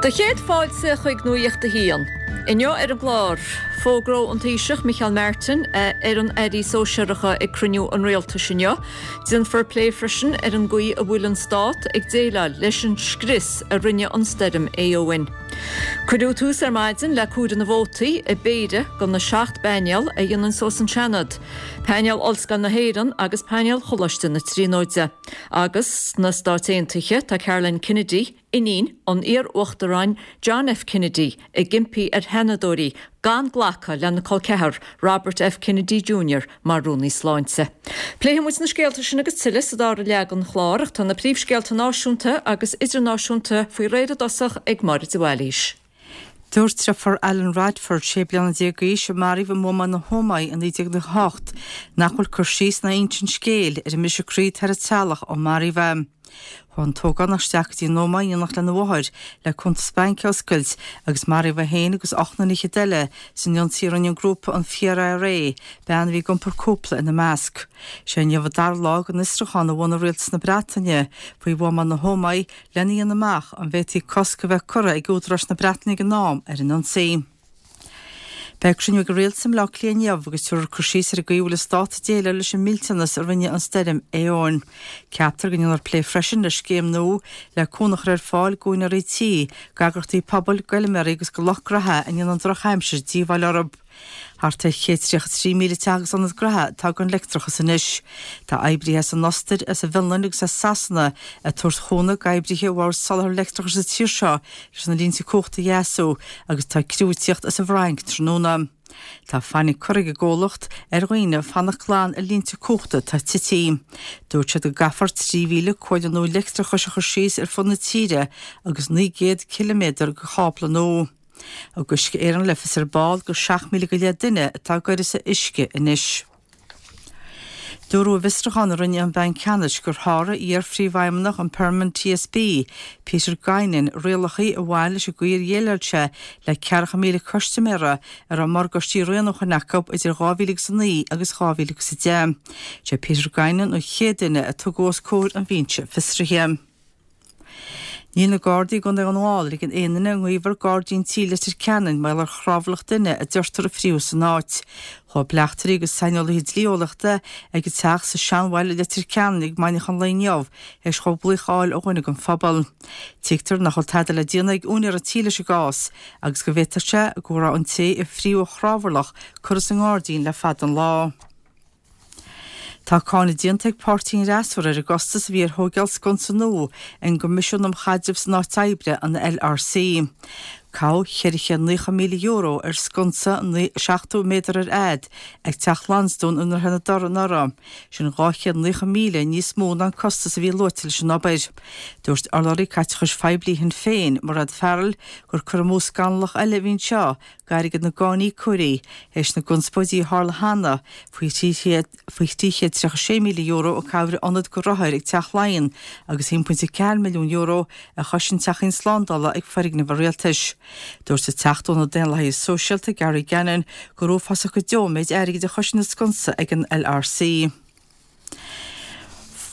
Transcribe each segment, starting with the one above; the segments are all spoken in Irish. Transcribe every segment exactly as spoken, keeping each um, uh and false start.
Do chéad fáilte chuig Nuacht a hAon. Inniu ar an gclár, fógróidh an Taoiseach Micheál Martin a fhoireann airí sóisearacha ag cruinniú an rialtais inniu. Déanfar plé freisin ar an gcaoi a bhfuil an stát ag déileáil leis an scrios a rinne an stoirm Éowyn. Cuireadh tús ar maidin le comhaireamh na vótaí i bpéire de na seacht bpainéal a dhéanann suas an Seanad, Painéal Ollscoil na hÉireann agus Painéal Choláiste na Tríonóide. Agus sna Stáit Aontaithe tá Caroline Kennedy, iníon an iar-uachtaráin John F. Kennedy ag impí ar sheanadóirí gan glacadh lena col ceathar Robert F. Kennedy Junior mar rúnaí sláinte. Pléifidh muid na scéalta sin agus tuilleadh sa dara leath den chlár ach tá na príomhscéalta náisiúnta agus idirnáisiúnta faoi réir i dtosach ag Máire de Bhailís. Dúirt deirfiúr Alan Radford sé bliana déag d'aois a maraíodh i mbuamáil na hÓmaí i naoi déag nócha hocht nach bhfuil cur síos ná insint scéil ar an mbriseadh croí atá ar a teaghlach ó maraíodh é. Chuaigh an t-ógánach isteach go dtí an Ómaigh in éineacht lena mháthair le cuntas bainc a oscailt agus maraíodh é féin agus ocht nduine fhichead eile san ionsaí a rinne an grúpa an Fíor-IRA, bean a bhí ag iompar cúpla ina measc. Sé inniu an dara lá den fhiosrúchán a bhunaigh Rialtas na Breataine faoi bhuamáil na hÓmaí lena dhéanamh amach an bhféadfaí cosc a bheith curtha ag údaráis na Breataine ag an am ar an ionsaí. Beidh cruinniú ag an Rialtas i mBleá Cliath inniu agus tabharfar cur síos ar an gcaoi a bhfuil an stát ag déileáil leis an millteanas a rinne an stoirm Éowyn. Ceaptar go ndéanfar plé freisin ar scéim nua le cúnamh a chur ar fáil d'úinéirí tí, d'eagraíochtaí pobail, d'fheilméaraí agus do lucht gnaithe a ndéanann an drochaimsir díobháil orthu. Thart ar chéad tríocha trí míle teach agus ionad gnaithe atá gan leictreachas anois. Tá oibrithe as an Ostair, as an bhFionlainn agus as Sasana ag tabhairt chúnamh d'oibrithe Bhord Soláthair Leictreachais sa tír seo leis na línte cumhachta a dheasú agus tá criú ag tíocht as an bhFrainc tráthnóna. Tá fainic curtha ag an gcomhlacht ar dhaoine fanacht glan ar línte cumhachta atá tite. Dúirt siad go gcaithfear trí mhíle cuaille nua leictreachais a chur síos ar fud na tíre agus naoi gcéad ciliméadar de chábla nua. Thug Uisce Éireann le fios ar ball gur seacht míle go leith duine atá ag uireasa uisce anois. Dúradh i bhfiosrúchán a rinne an Banc Ceannais gur sháraigh iar-phríomhfheidhmeannach an Permanent T S B, Peter Guinan, rialacha a bhain leis an gcaoi ar dhéileáil sé le ceathracha míle custaiméara a raibh morgáistí rianúcháin acu idir dhá mhíle agus a naoi agus dhá mhíle agus a deich. Sé Peter Guinan an chéad duine a tugadh os comhair an bhinse fiosraithe. Níl na Gardaí i gContae Dhún na nGall ag ligean aon duine i ngaobhar gairdín tí Leitir Ceanainn mar gheall ar chrábhairleach duine a deirtear a fríothadh san áit. Chuaigh bleachtairí agus saineolaithe dlí-eolaíochta ag an teach sa Seanbhaile i Leitir Ceanainn ag maidneachan an lae inniu théis dhóibh glaoch a fháil ó dhuine den phobal. Tuigtear nach bhfuil tada le déanamh ag úinéir an tí leis an gcás agus go bhféadfadh sé go raibh an té a fríothadh an chrábhairleach curtha sa ngairdín le fada an lá. Tá cáineadh déanta ag páirtí an fhreasúra ar an gcostas a bhí ar thóigeáil sconsa nua ag an gCoimisiún um Chaidreamh san Áit Oibre, an L R C. Caitheadh ceithre chéad naocha míle euro ar sconsa seachtó méadar ar fhad ag Teach Lansdún i nDroichead na dTor anuraidh, sin dhá chéad naocha míle níos mó ná an costas a bhí luaite leis an obair. Dúirt urlabhraí caiteachais phoiblí Shinn Féin, Mairéad Farrell, gur cur amú scannalach eile a bhí anseo d'airgead na gcáiníocóirí, théis na gconspóidí a tharla cheana faoi faoi trí chéad tríocha sé míle euro a caitheadh ar ionad do rothair ag Teach Laighean agus a haon pointe ceathair milliún euro a chosain teachín slándála ag foirgneamh an rialtais. Dúirt an Teachta ó na Daonlathaithe Sóisialta Gary Gannon gur uafásach go deo an méid airgid a chosain an sconsa ag an L R C.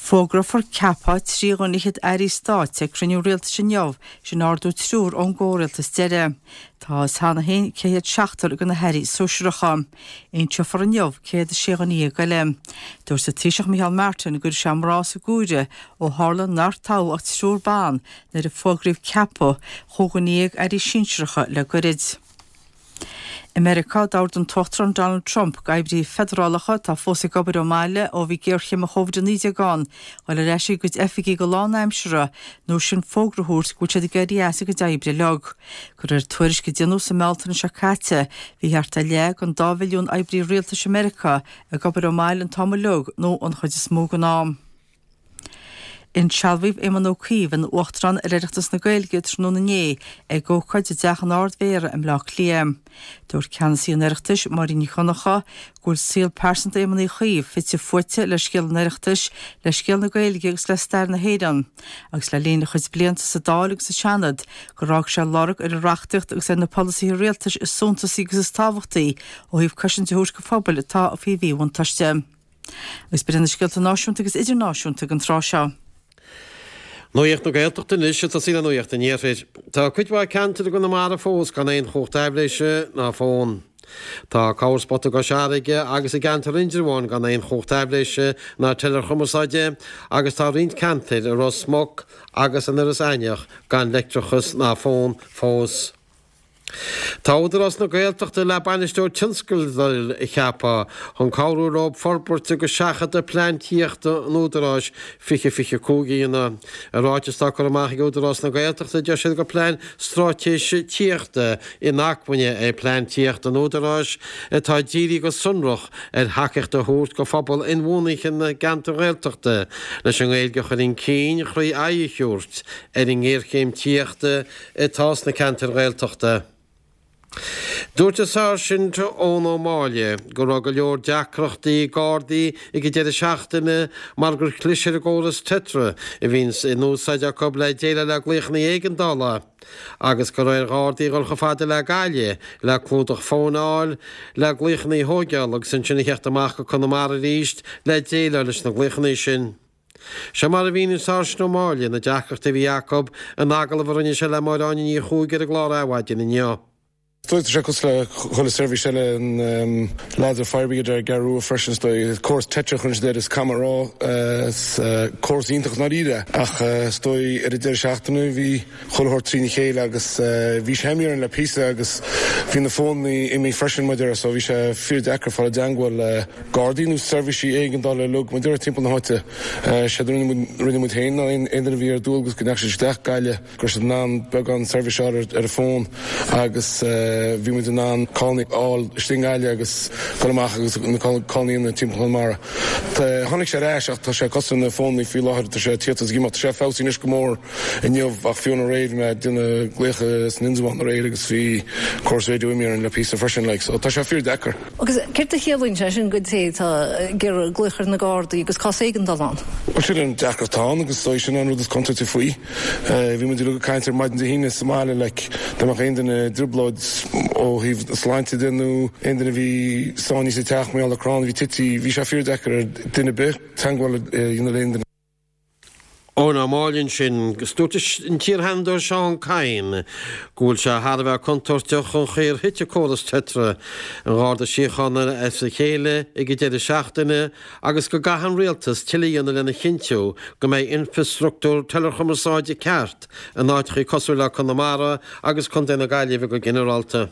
Fógrófar ceapadh trí dhuine fhichead airí stáit ag cruinniú rialtais inniu, sin ardú triúr ón gcomhrialtas deiridh. Tá a fhios cheana féin cé hiad seachtar de na hairí sóisearacha. Inseofar inniu céad a sé dhuine dhéag eile. Dúirt an Taoiseach Micheál Martin go raibh sé mná sa gcomhaireamh ó tharla nár toghadh ach triúr ban nuair a fógraíodh ceapadh chúig dhuine dhéag airí sinsearacha le goirid. I Meiriceá, d'ordaigh an tUachtarán Donald Trump d'oibrithe feidearálacha atá fós ag obair ón mbaile ó bhí géarchéim an Covid a naoi déag ann, dul ar ais ag a gcuid oifigí go lánaimseartha nó sin fógra a thabhairt go bhfuil siad ag éirí as a gcuid oibre uilig. De réir tuairisc a déanadh sa mBealtaine seo caite, bhí thart ar leath den dá mhilliún oibrí rialtais i Meiriceá ag obair ón mbaile an t-am uilig nó an chuid is mó den am. Insealbhaíodh Éamon Ó Cuív ina Uachtarán ar Oireachtas na Gaeilge tráthnóna inné ag ócáid i dTeach an Ard-Mhéara i mBleá Cliath. Dúirt ceannasaí an Oireachtais, Máirín Nic Dhonncha, go bhfuil saol pearsanta Éamoin Uí Chuív fite fuaite le scéal an Oireachtais, le scéal na Gaeilge agus le stair na hÉireann, agus le linn a chuid blianta sa Dáil agus sa Seanad gur fhág sé lorg ar an reachtaíocht agus ar na polasaithe rialtais is suntasaí agus is tábhachtaí ó thaobh cosaint a thabhairt do phobail atá faoi mhíbhuntáiste. Agus b'in na scéalta náisiúnta agus idirnáisiúnta don tráth seo. Nuacht na Gaeltachta anois ag tosaí le Nuacht an Iarthair. Tá cuid mhaith ceantar i gConamara fós gan aon chumhacht aibhléise ná fón. Tá corrspota i gCois Fharraige agus i gceantar Indreabháin gan aon chumhacht aibhléise ná teileachumarsáide agus tá roinnt ceantair i Ros Muc agus in Iorras Aithneach gan leictreachas ná fón fós. Tá Údarás na Gaeltachta le bainisteoir tionscadail a cheapadh chun cabhrú leo forbairt agus seachadadh plean tithíochta an Údaráis fiche fiche cúig a dhéanamh. I ráiteas atá curtha amach ag Údarás na Gaeltachta deir siad gur plean straitéise tithíochta inacmhainne é plean tithíochta an Údaráis atá dírithe go sonrach ar thacaíocht a thabhairt do phobal inbhuanaithe na gceantar Ghaeltachta leis an nGaeilge a chur chun cinn thrí aghaidh a thabhairt ar an ngéarchéim tithíochta atá sna ceantair Ghaeltachta. Dúirt an Sáirsint Eoin Ó Máille go raibh go leor deacrachtaí ag Gardaí ag an deireadh seachtaine mar gur chlis ar an gcóras Tetra a bhíonns in úsáid acu le déileáil le glaochanna éigeandála agus go raibh ar Ghardaí dhul chomh fada le Gaillimh le clúdach fóin a fháil le glaochanna a thógáil agus ansin a theacht amach go Conamara arís le déileáil leis na glaochanna sin. Seo mar a mhínigh an Sáirsint Ó Máille na deacrachtaí a bhí acu in agallamh a rinne sé le Máire Áine Ní Chuaig ar an gclár Adhmhaidin inniu. Is dóigh tá sé cosúil le chuile seirbhís eile an lads ar Fire Brigade ar an gCeathrú Rua freisin is dóigh. Córas Tetra a chuireann siad air is caithfidh mé a rá is córas iontach i ndáiríre ach is dóigh ar an deireadh seachtaine bhí chuile shórt trína chéile agus bhí sé imithe orainn le píosa agus bhí na fónnaí imithe freisin mar a déarfá so bhí sé fíor deacair fáil i dteangmháil le Gardaí nó seirbhísí éigeandála uilig mar a déarfá timpeall na háite. Séard a rinne muid féin ná aon duine a bhí ar dualgas go ndeachaigh siad isteach Gaillimh go raibh siad in ann beagán seirbhís a fháil ar an bhfón agus bhí muid in ann callanna a fháil istigh i nGaillimh agus dul amach agus na callanna a dhéanamh timpeall Chonamara. Tháinig sé ar ais ach tá sé cosúil na fónnaí faoi láthair, tá sé ag tíocht is ag imeacht. Tá sé feabhsaithe anois go mór inniu ach fiú aréir bhí mé ag déanamh glaocha san Indreabhán aréir agus bhí córas raidió imithe orainn le píosa freisin like so tá sé fíor deacair. Agus céard a chiallaíonn sé sin don té atá ag iarraidh glaoch ar na Gardaí agus cás éigeandála ann? Bhuel sin an deacracht atá ann agus is dóigh sin an rud is contúirtí faoi. Bhí muid uilig ag caint ar maidin Dé hAoine sa mbaile like dá mbeadh aon duine i dtrioblóid ó thaobh sláinte de nó aon duine a bhí sáinnithe sa teach mar gheall ar crann a bhí tite, bhí sé fíor-deacair ar duine ar bith teagmháil a dhéanamh le aon duine. Eoin Ó Máille ansin, agus dúirt an t-iarsheanadóir Seán Kyne go bhfuil sé thar a bheith contúirteach an chaoi ar thit córas Tetra an Gharda Síochána as a chéile ag an deireadh seachtaine agus go gcaithfidh an rialtas tuilleadh a dhéanamh lena chinntiú go mbeidh infreastruchtúr teileachumarsáide ceart in áiteachaí cosúil le Conamara agus Contae na Gaillimhe go ginearálta.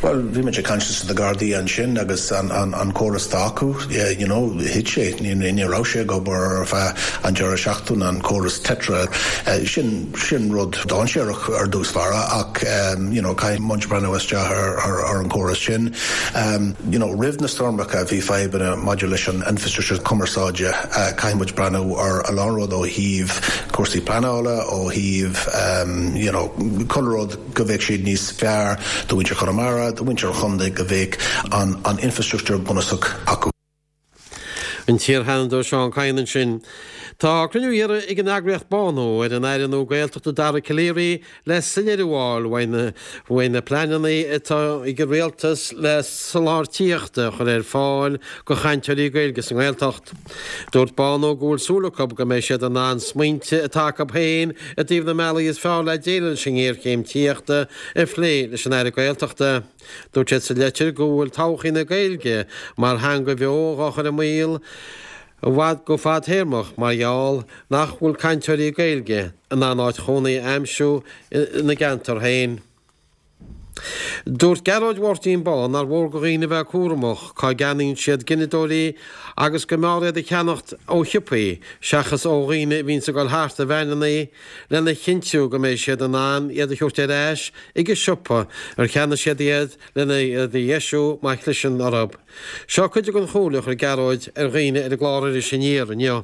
Well, bhí muid ag caint leis na Gardaí ansin agus an, an, an córas atá acu, you know, thit sé, ní, ní raibh sé ag obair ar feadh an deireadh seachtaine an córas Tetra. Uh, sin, sin rud dainséarach ar dtús báire ach um, you know, caithfidh muid breathnú isteach ar, ar, ar an córas sin. Um, you know, roimh na stoirmeacha bhí fadhbanna maidir leis an infrastructure cumarsáide uh, caithfidh muid breathnú ar a lán rud ó thaobh cúrsaí pleanála ó thaobh um, you know, chuile rud go bheadh siad níos fearr do mhuintir Chonamara, do mhuintir chontae go bheadh an, an infrastructure bunúsach acu. An t-iarsheanadóir Seán Kyne ansin. Tá cruinniú iarrtha ag an eagraíocht Bánú ar an Aire nua Gaeltachta Dara Calleary le soiléiriú a fháil faoi na pleananna atá ag an rialtas le soláthar tithíochta a chur ar fáil do chainteoirí Gaeilge sa nGaeltacht. Dúirt Bánú go bhfuil súil acu go mbeidh siad in ann smaointe atá acu féin i dtaobh na mbealaí is fearr le déileáil leis an ngéarchéim tithíochta a phlé leis an Aire Gaeltachta. Dúirt siad sa leitir go bhfuil todhchaí na Gaeilge mar theanga bheo á chur i mbaol i bhfad go fadtéarmach mar gheall nach bhfuil cainteoirí Gaeilge in ann áit chónaí a aimsiú ina gceantar féin. Dúirt Gearóid Mháirtín Bán nár mhór do dhaoine bheith cúramach cá gceannaíonn siad gineadóirí agus go mb'fhearr iad a cheannacht ó shiopaí seachas ó dhaoine a bhíonn ag dul thart i veaineanna lena chinntiú go mbeidh siad in ann iad a thabhairt ar ais ag an siopa ar cheannaigh siad iad lena iad a dheisiú má chliseann orthu. Seo cuid den chomhairle a chuir Gearóid ar dhaoine ar an gclár Iris Aniar inniu.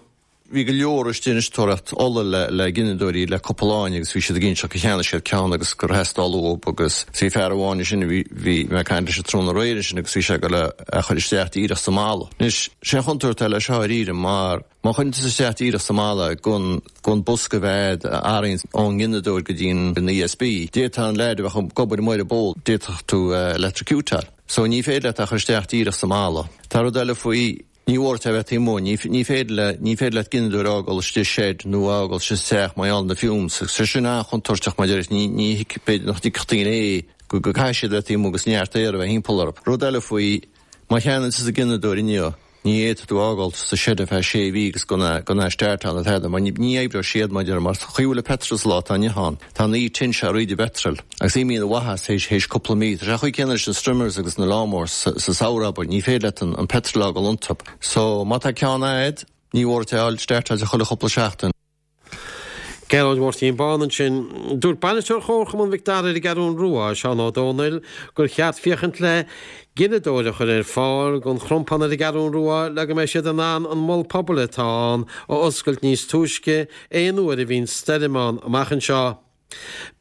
Bhí go leor istigh tóraíocht ola le le gineadóirí le cúpla lá agus bhí siad ag inse gur cheannaigh siad ceann agus gur theastaigh uathu agus bhí fear amháin sin bhí bhí mé ag caint leis an tráthnóna aréir sin agus bhí sé le a chur isteach díreach sa mballa. Anois sé chontúirt le seo aríre mar má chuireann tú isteach díreach sa mballa gan gan bosca bhead arraon ón ngineadóir go dtí an E S B. D'fhéadfadh an leaid a bheith ag obair amuigh ar an bpól, d'fhéadfadh tú electrocutáil. So ní féidir leat a chur isteach díreach sa mballa. Tá rud eile faoi. Ní mhór duit a bheith taobh amuigh, ní ní féidir le ní féidir leat gineadóir a fhágáil istigh sa shed nó a fhágáil sa teach mar gheall ar na fumes agus sé sin an-chontúirteach mar deir ní ní b'fhéidir nach dtuigfeadh daoine é go go gcaithfidh siad a bheith taobh amuigh agus neart aer a bheith thimpeall orthu. Rud eile faoi má cheannaíonn tusa gineadóir inniu ní fhéadfaidh tú a fhágáil sa shed ar feadh sé mhí agus gan gan é a startáil nó tada mar ní ní oibreoidh siad mar deir mar chaoi a bhfuil an petrol sa lá atá inniu ann tá an tinte ar íde bpetrol agus imíonn an mhaitheas théis théis cúpla mí. Tá sé chaoi céanna leis na strimmers agus na lawnmowers sa, sa samhradh abair ní féidir leat an, an petrol a fhágáil iontu. So má tá ceann agat ní mhór duit é a fháil startáilte chuile chúpla seachtain. Gearóid Mháirtín Bán ansin. Dúirt bainisteoir Chomharchumann Mhic Dara ar an gCeathrú Rua, Seán Ó Dónaill, gur cheart féachaint le gineadóir a chur ar fáil don chrompán ar an gCeathrú Rua le go mbeidh siad in ann an mol pobail atá ann a oscailt níos túisce aon uair a bhíonn stoirm ann amach anseo.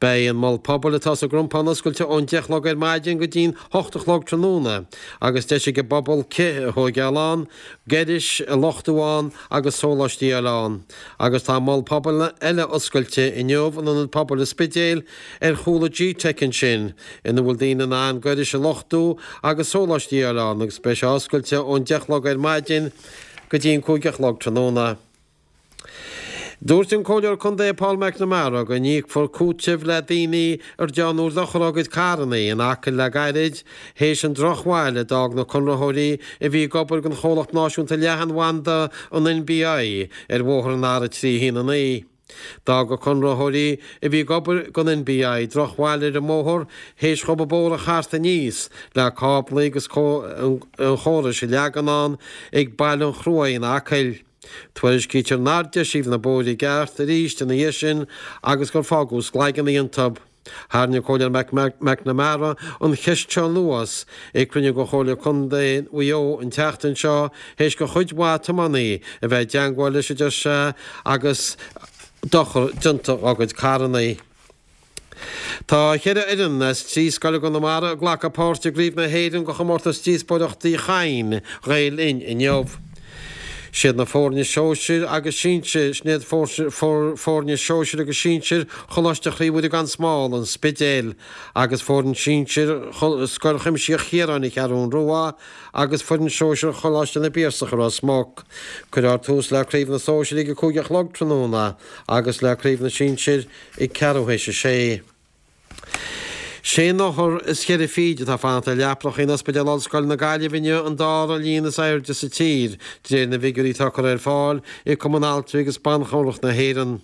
Beidh an mol pobail atá sa gcrompán oscailte ón deich a chlog ar maidin go dtí'n hocht a chlog tráthnóna agus deis ag an bpobal cith a thógáil ann, gairis a luchtú ann agus sóláistí a fháil ann. Agus tá mol pobail eile oscailte inniu in ionad pobail an Spidéil ar chúl an G-Tech ansin ina bhfuil daoine in ann gairis a luchtú agus sóláistí a fháil ann agus beidh sé oscailte ón deich a chlog ar maidin go dtí'n cúig a chlog tráthnóna. Dúirt an Comhairleoir Contae Paul McNamara go n-íocfar cúiteamh le daoine ar déanadh dochar dá gcuid carranna in Acaill le gairid théis an drochbhail a d'fhág na conraitheoirí a bhí ag obair don chomhlacht náisiúnta leathanbhanda an NBI ar bhóthar an R trí haon a naoi. D'fhág na conraitheoirí a bhí ag obair don NBI drochbhail ar an mbóthar théis dhóibh an bóthar a chartadh aníos le cáblaí agus an chórais a leagan ann ag Baile an Chruaidh in Acaill. Tuairiscítear nár deisíodh na bóithre i gceart arís ina dhiaidh sin agus gur fágadh sclaigeanna iontu. Tharraing an Comhairleoir McNamara an cheist seo anuas ag cruinniú de Chomhairle Contae Mhaigh Eo an tseachtain seo théis do chuid mhaith tiománaí a bheith i dteagmháil leis a deir sé agus dochar déanta dá gcuid carranna. Tá ceithre fhoireann as trí scoil i gConamara ag glacadh páirt i gCraobh na hÉireann de chomórtas díospóireachtaí Chadhain Ghael Linn inniu. Siad na foirne sóisir agus sinsir, sin iad foirne sóisir agus sinsir Choláiste Chroí Mhuire gan Smál, an Spidéal, agus foireann sinsir Scoil Chuimsitheach Chiaráin, an Cheathrú Rua, agus foireann sóisir Choláiste na bPiarsach i Ros Muc. Cuirfear tús le Craobh na Sóisir ag a cúig a chlog tráthnóna agus le Craobh na Sinsir ag ceathrú théis a sé. Sé n-othar is ceithre fichid atá ag fanacht ar leapacha in Ospidéal Ollscoile na Gaillimhe inniu an dara líon is airde sa tír, de réir na bhfigiúirí atá curtha ar fáil ag Cumann Altraí agus Ban Chabhrach na hÉireann.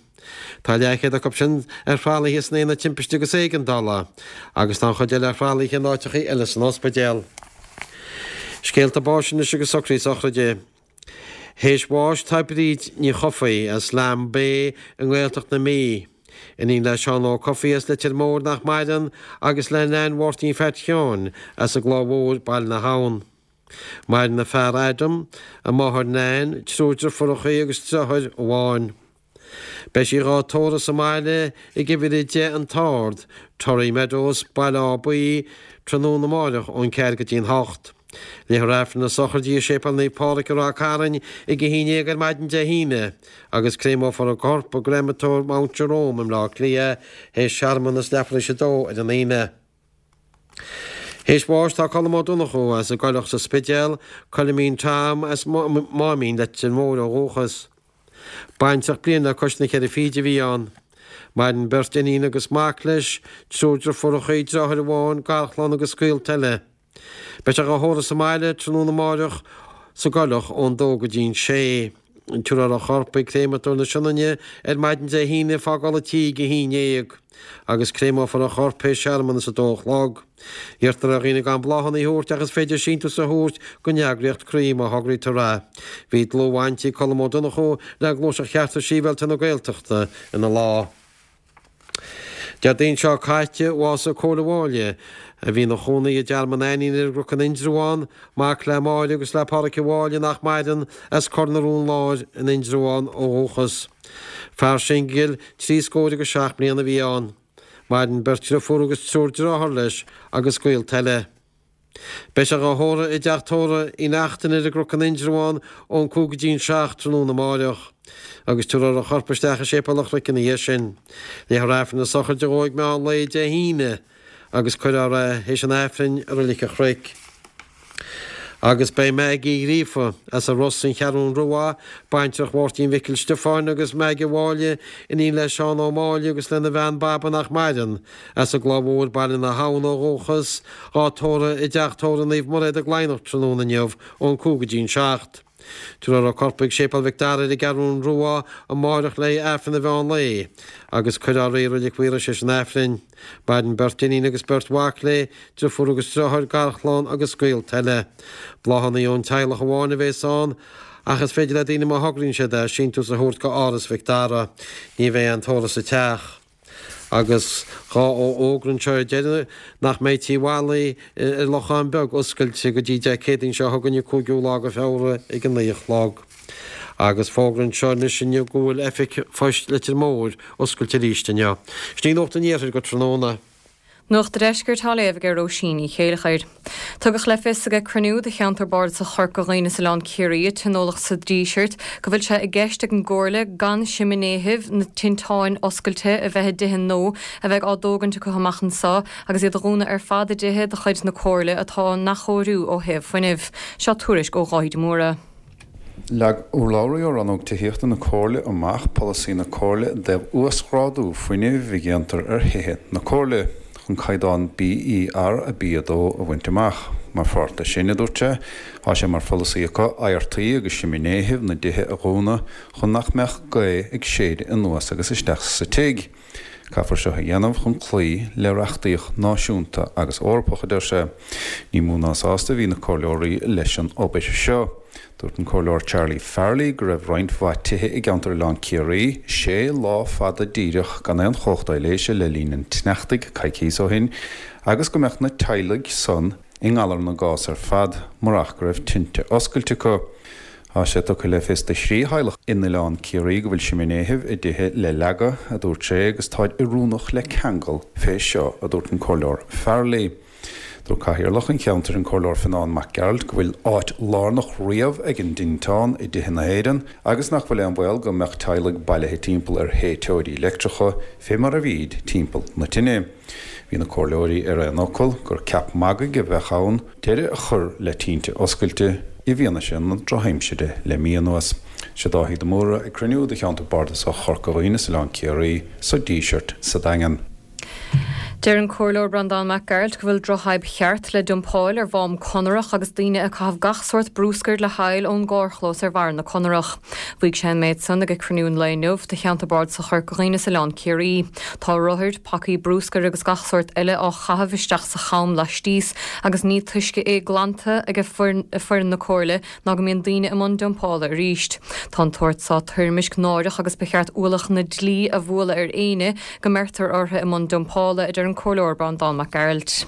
Tá leathchéad acu sin ar thralaithe san Aonad Timpiste agus Éigeandála, agus tá an chuid eile ar thralaithe in áiteacha eile san ospidéal. Scéalta báis anois agus socruithe sochraide. Théis bháis tá Bríd Ní Chofaigh as Lambay i nGaeltacht na Mí. Iníon le Seán Ó Cofaigh as Leitir Móir nach maireann agus le Nan Mháirtín Pheait Sheáin as an gCloich Mhór, Baile na hAbhann. Maireann a fear Adam, a máthair Nan, triúr deirfiúracha agus deartháir amháin. Beidh sí dhá tórramh sa mbaile ag uimhir a deich An tArd, Torry Meadows, Baile Átha Buí, tráthnóna amáireach ón ceathair go dtí'n hocht. Léifear Aifreann na sochraide i Séipéal Naomh Pádraig i Ráth Cairn ag a haon déag ar maidin Dé hAoine agus créamófar a corp i gcreamatóir Mount Jerome i mBleá Cliath théis searmanas leathuair théis a dó ar an Aoine. Théis bháis tá Colm Ó Donnchú as an gCoileach sa Spidéal, Coilimín Tom as Máimín Leitir Móir ó dhúchas. Baintreach bliain le cois na ceithre fichid a bhí ann. Maireann beirt iníon agus mac leis, triúr deirfiúracha, deartháir amháin, garchlann agus gaolta eile. Beidh sé dhá thórramh sa mbaile tráthnóna amáireach sa gCoileach ón dó go dtí'n sé. Tabharfar a chorp chuig créamatóir na Sionainne ar maidin Dé hAoine ag fágáil an tí ag a haon déag agus créamófar a chorp théis searmanas a dó a chlog. Iarrtar ar dhaoine gan bláthanna a thabhairt ach is féidir síntiús a thabhairt don eagraíocht Croí má thograítear é. Bhí dlúthbhaint ag Colm Ó Donnchú le Gluaiseacht Chearta Sibhialta na Gaeltachta ina lá. Déardaoin seo caite, bhásaigh Cóil Ó Mháille, a bhí ina chónaí i dTearmann Ainnín ar an gCnoc in Indreabhán, mac le Máire agus le Pádraic Ó Mháille nach maireann, as Cor na Rón Láir in Indreabhán ó dhúchas. Fear singil, trí scór agus seacht mbliana a bhí ann. Maireann beirt dhriofúr agus triúr dearthár leis agus gaolta eile. Beidh sé dhá thórramh i dteach tórraimh Uí Neachtain ar an gCnoc in Indreabhán ón cúig go dtí'n seacht tráthnóna amáireach, agus tabharfar a chorp isteach i Séipéal an Chnoic ina dhiaidh sin. Léifear Aifreann na sochraide dhó ag meán lae Dé hAoine agus cuirfear é théis an Aifrinn i Reilig an Chnoic. Agus beidh Maggie Ghríofa as an Ros an Cheathrún Rua, baintreach Mháirtín Mhicil Stiofáin agus Maggie Mháille, iníon le Seán Ó Máille agus lena bhean Baba nach maireann, as an gCloich Mhór Baile na hAbhann ó dhúchas, dhá tórramh i dteach tórraimh Naomh Mairéad i gCladhnach tráthnóna inniu ón cúig go dtí'n seacht. Tabharfar a corp ag Séipéal Mhic Dara ar an gCeathrún Rua amáireach le Aifreann an mheán lae agus cuirfear í i Reilig Mhaoilrois théis an Aifrinn. Maireann beirt iníon agus beirt mhac léi, driofúr agus driotháir, garchlann agus gaolta eile. Bláthanna ón teaghlach amháin a bhéas ann ach is féidir le daoine má thograíonn siad é, síntiús a thabhairt go Áras Mhic Dara. Ní bheidh aon tórramh sa teach. Agus dhá fhógra anseo ar deireadh nach mbeidh Tí Mholly ar Lochán Beag oscailte go dtí Dé Céadaoin seo chugainn an cúigiú lá de Feabhra ag a naoi a chlog. Agus fógra anseo anois inniu go bhfuil Oifig Phoist Leitir Móir oscailte arís inniu. Sin í Nuacht an Iarthair go tráthnóna. Nuacht an Deiscirt á léamh ag Róisín Ní Chéilleachair. Tugadh le fios ag cruinniú de cheantar bardasach Chorca Dhuibhne is Oileán Ciarraí a tionóladh sa Díseart go bhfuil sé i gceist ag an gComhairle gan siminéithibh na tinteáin oscailte a bheith i dtithe nua a bheidh á dtógaint acu amach anseo agus iad a dhúnadh ar fad i dtithe de chuid na Comhairle atá á n-athchóiriú ó thaobh fuinnimh. Seo tuairisc ó Dháithí de Mórdha. Leag urlabhraí ó Rannóg Tithíochta na Comhairle amach polasaí na Comhairle i dtaobh uasghrádú fuinnimh a dhéantar ar thithe na Comhairle chun caighdeán BER a B a dó a bhaint amach. Mar pháirt de sin, a dúirt sé, tá sé mar pholasaí acu adhartaí agus siminéithibh na dtithe a dhúnadh chun nach mbeadh gaoth ag séideadh anuas agus isteach sa tigh. Caithfear seo a dhéanamh chun cloí le reachtaíocht náisiúnta agus Eorpach, a deir sé. Ní mó ná sásta a bhí na comhairleoirí leis an obair seo. Dúirt an Comhairleoir Charlie Farrelly go raibh roinnt mhaith tithe i gceantar Oileán Ciarraí sé lá fada díreach gan aon chumhacht aibhléise le linn an tsneachtaidh coicíos ó shin agus go mbeadh na teaghlaigh san i ngalar na gcás ar fad murach go raibh tinte oscailte acu. Tá sé tugtha le fios do thrí theaghlach in Oileán Ciarraí go bhfuil siminéithibh a dtithe le leagadh, a dúirt sé, agus táid oiriúnach le ceangal fé seo, a dúirt an Comhairleoir Farrelly. Dúirt Cathaoirleach an cheantair an Comhairleoir Fionán Mac Gearailt go bhfuil áit lárnach riamh ag an dtinteán i dtithe na hÉireann agus nach bhfuil aon bhaol go mbeadh teaghlaigh bailithe timpeall ar théiteoirí leictreacha fé mar a bhíd timpeall na tine. Bhí na comhairleoirí ar aon fhocal gur ceap magaidh a bheadh ann deireadh a chur le tinte oscailte i bhfianaise na drochaimsire le mí anuas. Sé Dáithí de Mórdha ag cruinniú de cheantar bardasach Chorca Dhuibhne is Oileán Ciarraí sa Díseart sa Daingean. Deir an Comhairleoir Breandán Mac Gearailt go bhfuil drochfhadhb cheart le dumpáil ar Mhám Conarach agus daoine ag caitheamh gach sórt bruscair le haill ón gcarrchlós ar bharr na Conarach. Mhaígh sé an méid san ag cruinniú an lae inniu de cheantar bardasach Chorca Dhuibhne is Oileán Ciarraí. Tá rothair, pacaí bruscair agus gach sórt eile á chaitheamh isteach sa cham laistíos agus ní túisce é glanta ag foireann na Comhairle ná go mbíonn daoine i mbun dumpála arís. Tá an tsórt seo toirmisc náireach agus ba cheart ualach na dlí a bhualadh ar éinne go mbeirtear orthu i mbun dumpála, a deir an Comhairleoir Breandán Mac Gearailt.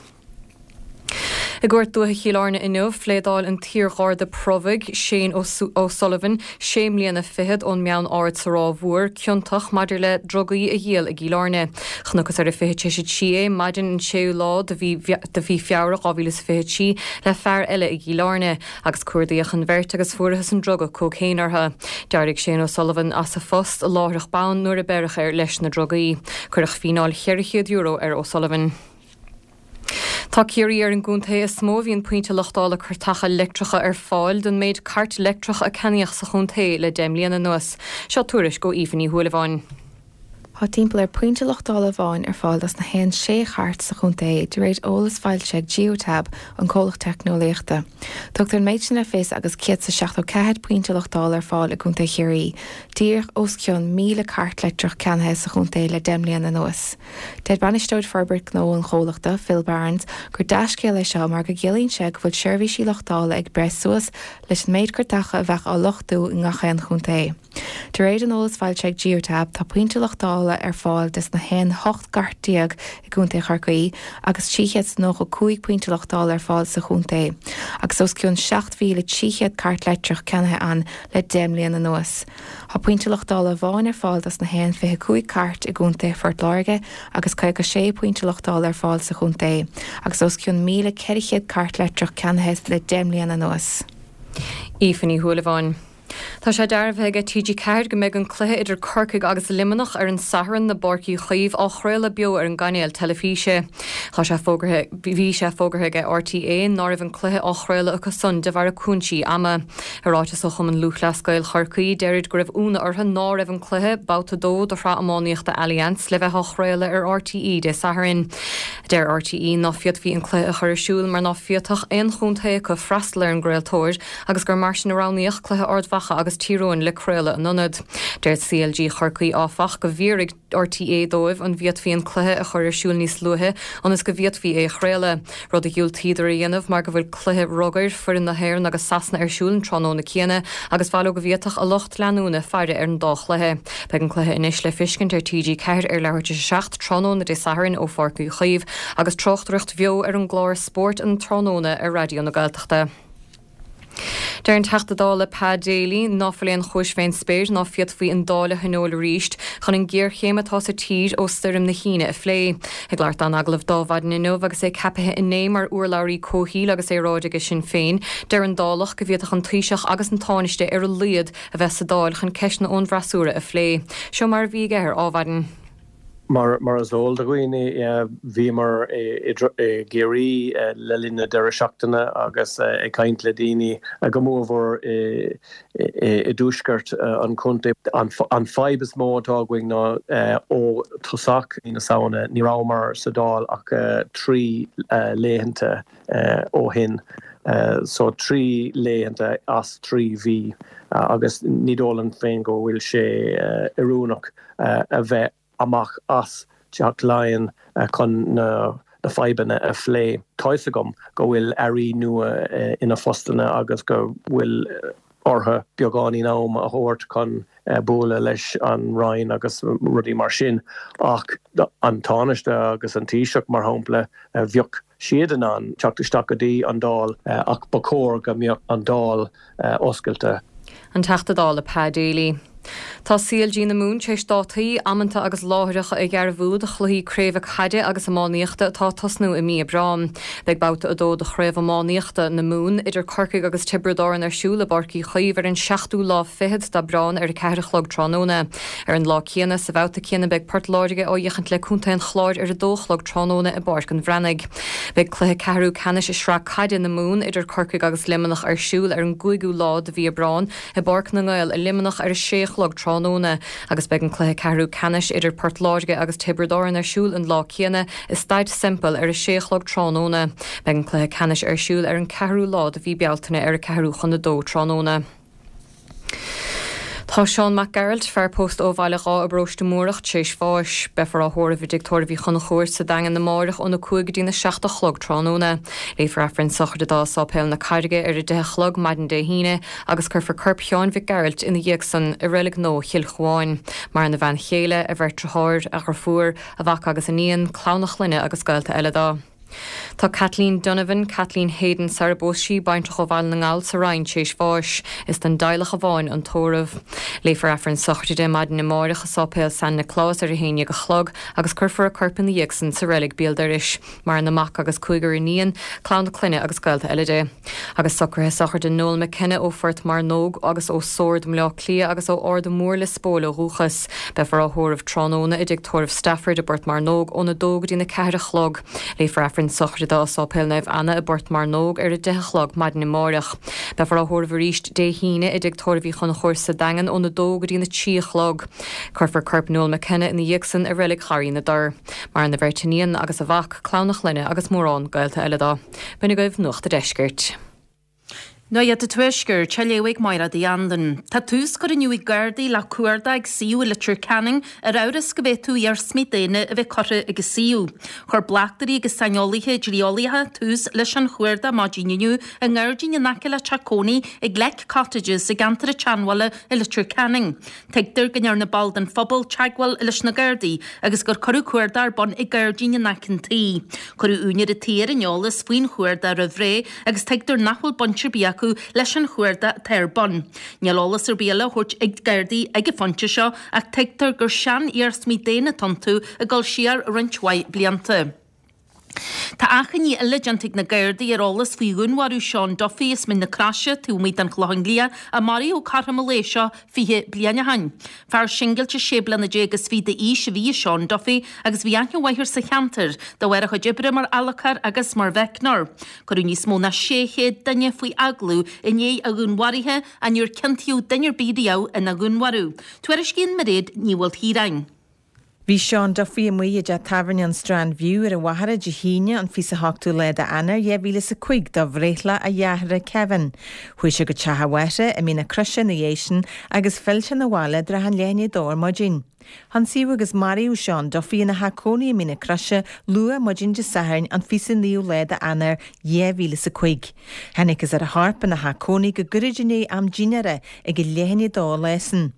I gCúirt Dúiche Chill Airne inniu, phléadáil an t-iar-gharda promhaidh Shane O'Sullivan sé mbliana fichead ón mBeann Ard sa Ráth Mhór ciontach maidir le drugaí a dhíol i gCill Airne. Chonacthas ar an fiche a trí é maidin an séú lá de mhí Feabhra dhá mhíle is fiche a trí le fear eile i gCill Airne agus cuardaíodh an bheirt agus fuarathas an druga cócaon orthu. D'éirigh Shane O'Sullivan as a phost láithreach bonn nuair a beireadh air leis na drugaí. Cuireadh fíneáil cheithre chéad euro ar O'Sullivan. Tá Ciarraí ar an gcontae is mó a bhíonn pointe luchtála cairteacha leictreacha ar fáil don méid cairt leictreach a ceannaíodh sa chontae le deich mbliana anuas. Seo tuairisc ó Aoife Ní Shúilleabháin. Tá timpeall ar pointe luchtála amháin ar fáil dos na haon sé chairt sa chontae, de réir eolas foilsithe ag Geotab, an comhlacht teicneolaíochta. Tugtar an méid sin le fios agus céad is seachtó ceathair pointe luchtála ar fáil i gContae Chiarraí, díreach os cionn míle cairt leictreach ceannaithe sa chontae le deich mbliana anuas. Deir bainisteoir forbairt gnó an chomhlachta, Phil Barnes, gur dea-scéal é seo mar go gciallaíonn sé go bhfuil seirbhísí luchtála ag breith suas leis an méid cairteacha a bheadh á luchtú i ngach aon chontae. De réir an eolas foilsithe ag Geotab, tá pointe luchtála ar fáil des na haon hocht gcairt déag i gContae Chorcaí agus trí chéad is nócha cúig pointe luchtála ar fáil sa chontae, agus os cionn seacht mhíle trí chéad cairt leictreach ceannaithe ann le deich mbliana anuas. Tá pointe luchtála amháin ar fáil dos na haon fiche cúig cairt i gContae Phort Láirge agus caoga sé pointe luchtála ar fáil sa chontae, agus os cionn míle ceithre chéad cairt leictreach ceannaithe le deich mbliana anuas. Aoife Ní Shúilleabháin. Tá sé dearbhaithe ag T G ceathair go mbeidh an cluiche idir Corcaigh agus Luimneach ar an Satharn i bPáirc Uí Chaoimh á chraoladh beo ar an gcainéal teilifíse. Tá sé fógartha bhí sé fógartha ag R T É ná raibh an cluiche á chraoladh acu san de bharr cúinsí ama. I ráiteas ó Chumann Lúthchleas Gael Chorcaí, deirid go raibh ionadh orthu ná raibh an cluiche, babhta a dó de shraith iománaíochta Allianz, le bheith á chraoladh ar R T E Dé Sathairn. Deir R T E ná féadfaí an cluiche a chur ar siúl mar ná féadfadh aon chontae acu freastal ar an gcraoltóir agus gur mar sin a roghnaíodh cluiche Ard Mhacha agus Tír Eoghain le craoladh in ionad. Deir C L G Chorcaí áfach go bhfiafraigh R T É dóibh an bhféadfaí an cluiche a chur ar siúl níos luaithe ionas go bhféadfaí é a chraoladh, rud a dhiúltaíodar a dhéanamh mar go bhfuil cluiche rugair foireann na hÉireann agus Sasana ar siúl an tráthnóna céanna agus b'fhearr leo go bhféadfadh a lucht leanúna faire ar an dá chluiche. Beidh an cluiche anois le feiscint ar T G ceathair ar leathuair tar éis a seacht tráthnóna Dé Sathairn ó Pháirc Uí Chaoimh agus tráchtaireacht bheo ar an gclár Spórt an Tráthnóna ar Raidió na Gaeltachta. Deir an Teachta Dála Pa Daly ná fuil aon chúis fén spéir ná féadfaí an Dáil a thionól arís chun an ghéarchéim atá sa tír ó stoirm na hAoine a phlé. Ag labhairt dó in agallamh d'Adhmhaidin inniu agus é ceaptha inné mar urlabhraí comhshaoil agus aeráide ag Sinn Féin, deir an Dálach go bhféadfadh an Taoiseach agus an Tánaiste ar a laghad a bheith sa Dáil chun ceisteanna ón bhfreasúra a phlé. Seo mar a bhí aige ar Adhmhaidin. Mar mar is eol do dhaoine, bhíomar i gCiarraí le linn na deireadh seachtaine agus ag caint le daoine go mórmhór i dtuaisceart an chontae. An fadhb is mó atá againn ná ó tosach mí na Samhna ní rabhamar sa Dáil ach trí laethanta ó shin. So trí laethanta as trí mhí agus ní dóigh liom féin go bhfuil sé oiriúnach a bheith amach as Teach Laighean chun na fadhbanna a phlé. Tá fhios agam go bhfuil airí nua ina phostanna agus go bhfuil orthu beagáinín am a thabhairt chun bualadh leis an Roinn agus rudaí mar sin ach an Tánaiste agus an Taoiseach mar shampla bheadh siad in ann teacht isteach go dtí an Dáil ach ba chóir go mbeadh an Dáil oscailte. An Teachta Dála Pa Daly. Tá C L G na Mumhan tar éis dátaí, amanta agus láithreacha a dhearbhú do chluichí craoibhe caide agus iománaíochta atá ag tosnú i mí Aibreáin. Beidh babhta a dó de chraobh iománaíochta na Mumhan idir Corcaigh agus Tiobraid Árann ar siúl i bPáirc Uí Chaoimh ar an seachtú lá fichead d'Aibreán ar a ceathair a chlog tráthnóna. Ar an lá céanna, sa bhabhta céanna beidh Port Láirge á fhéachaint le Contae an Chláir ar a dó a chlog tráthnóna i bPáirc an Bhreathnaigh. Beidh cluiche ceathrú ceannais i sraith caide na Mumhan idir Corcaigh agus Luimneach ar siúl ar an gcúigiú lá de mhí Aibreáin i bPáirc na nGael i Luimneach ar a sé a chlog tráthnóna agus beidh an cluiche ceathrú ceannais idir Port Láirge agus Tiobraid Árann ar siúl an lá céanna i Staid Semple ar a sé a chlog tráthnóna. Beidh an cluiche ceannais ar siúl ar an ceathrú lá de mhí Bealtaine ar a ceathrú chun a dó tráthnóna. Tá Seán Mac Gearailt, fear post ó Bhaile Dháith i bparóiste Múrach, tar éis bháis. Beifear á thórramh i dtigh tórraimh Uí Chonchúir sa Daingean amáireach óna cúig go dtína seacht a chlog tráthnóna. Léifear Aifreann sochraide dó i Sáipéal na Carraige ar a deich a chlog maidin Dé hAoine agus cuirfear corp Sheáin Mhic Gearailt ina dhiaidh san i reilig nua Chill Chuáin. Maireann a bhean chéile, a bheirt deartháir, a dheirfiúr, a mhac agus iníon, clann a chlainne agus gaolta eile dó. Tá Kathleen Donovan, Kathleen Hayden sar a bpós sí, baintreach ó Bhaile na nGall sa Rinn tar éis bháis. Is don dteaghlach amháin an tórramh. Léifear Aifreann sochraide di maidin amáireach i Sáipéal San Nioclás ar a haon déag a chlog agus cuirfear a corp ina dhiaidh san sa reilig béal dorais. Maireann a mac agus cúigear iníon, clann a clainne agus gaolta eile di. Agus socruithe sochraide Noel McKenna ó Phort Mearnóg agus ó Sord i mBleá Cliath agus ó Ard Mór Lios Póil ó dhúchas. Beifear á thórramh tráthnóna i dtigh tórraimh Stafford i bPort Mearnóg óna dó go dtína ceathair a chlog. Léifear Aifreann sochraide dó i Sáipéal Naomh Anna i bPort Mearnóg ar a deich a chlog maidin amáireach. Beifear á thórramh arís Dé hAoine i dtigh tórraimh Uí Chonchúir sa Daingean óna dó go dtína trí a chlog. Cuirfear corp Noel McKenna ina dhiaidh san i reilig Gharraí na dTor. Maireann a bheirt iníon agus a mhac, clann a chlainne agus mórán gaolta eile dó. B'in agaibh Nuacht an Deiscirt. Nuacht an Tuaiscirt, á léamh ag Máire Uí Anluain. Tá tús curtha inniu ag Gardaí le cuardach ag suíomh i Leitir Ceanainn ar amhras go bhféadfadh iarsmaí daonna a bheith curtha ag an suíomh. Chuir bleachtairí agus saineolaithe dlí-eolaíocha tús leis an chuardach maidin inniu i ngairdín in aice le teach cónaí ag Leck Cottages i gceantar an tSeanbhaile i Leitir Ceanainn. Tuigtear go ndearna ball den phobal teagmháil leis na Gardaí agus gur cuireadh cuardach ar bun i ngairdín in aice an tí. Cuireadh úinéir an tí ar an eolas faoin chuardach roimh ré agus tuigtear nach bhfuil baint ar bith acu leis an chuardach atá ar bun. Níl eolas ar bith eile á thabhairt ag Gardaí ag an phointe seo ach tuigtear gur sean-iarsmaí daonna atá iontu ag dul siar roinnt mhaith blianta. Tá achainí eile déanta ag na Gardaí ar eolas faoi dhúnmharú Seán Duffy as Mín na Croise taobh amuigh den Chlochán Liath a maraíodh cothrom an lae seo fiche bliain ó shin. Fear singilte sé bliana déag is fiche d'aois a bhí i Seán Duffy agus bhí aithne mhaith air sa cheantar de bharr a chuid oibre mar fhalcarr agus mar mheicneoir. Cuireadh níos mó ná sé chéad duine faoi agallamh i ndiaidh a dhúnmharaithe ach níor ciontaíodh duine ar bith riamh ina dhúnmharú. Tuairiscíonn Mairéad Ní Mhaoilchiaráin. Bhí Seán Duffy amuigh i dteach tábhairne an Strand View ar an Mhachaire Dé hAoine an fiche a hochtú lá d'Eanáir dhá mhíle is a cúig do bhreithlá a dhearthára Kevin. Chuaigh sé go teach a mháthara i Mín na Croise ina dhiaidh sin agus phill sé 'na bhaile i dtrátha an leath i ndiaidh a dó ar maidin. Hionsaíodh agus maraíodh Seán Duffy ina theach cónaí i Mín na Croise luath maidin Dé Sathairn an fiche a naoú lá d'Eanáir dhá mhíle is a cúig. Thángthas ar a chorp ina theach cónaí go gairid i ndiaidh am dinnéara ag a leath i ndiaidh a dó an lá sin.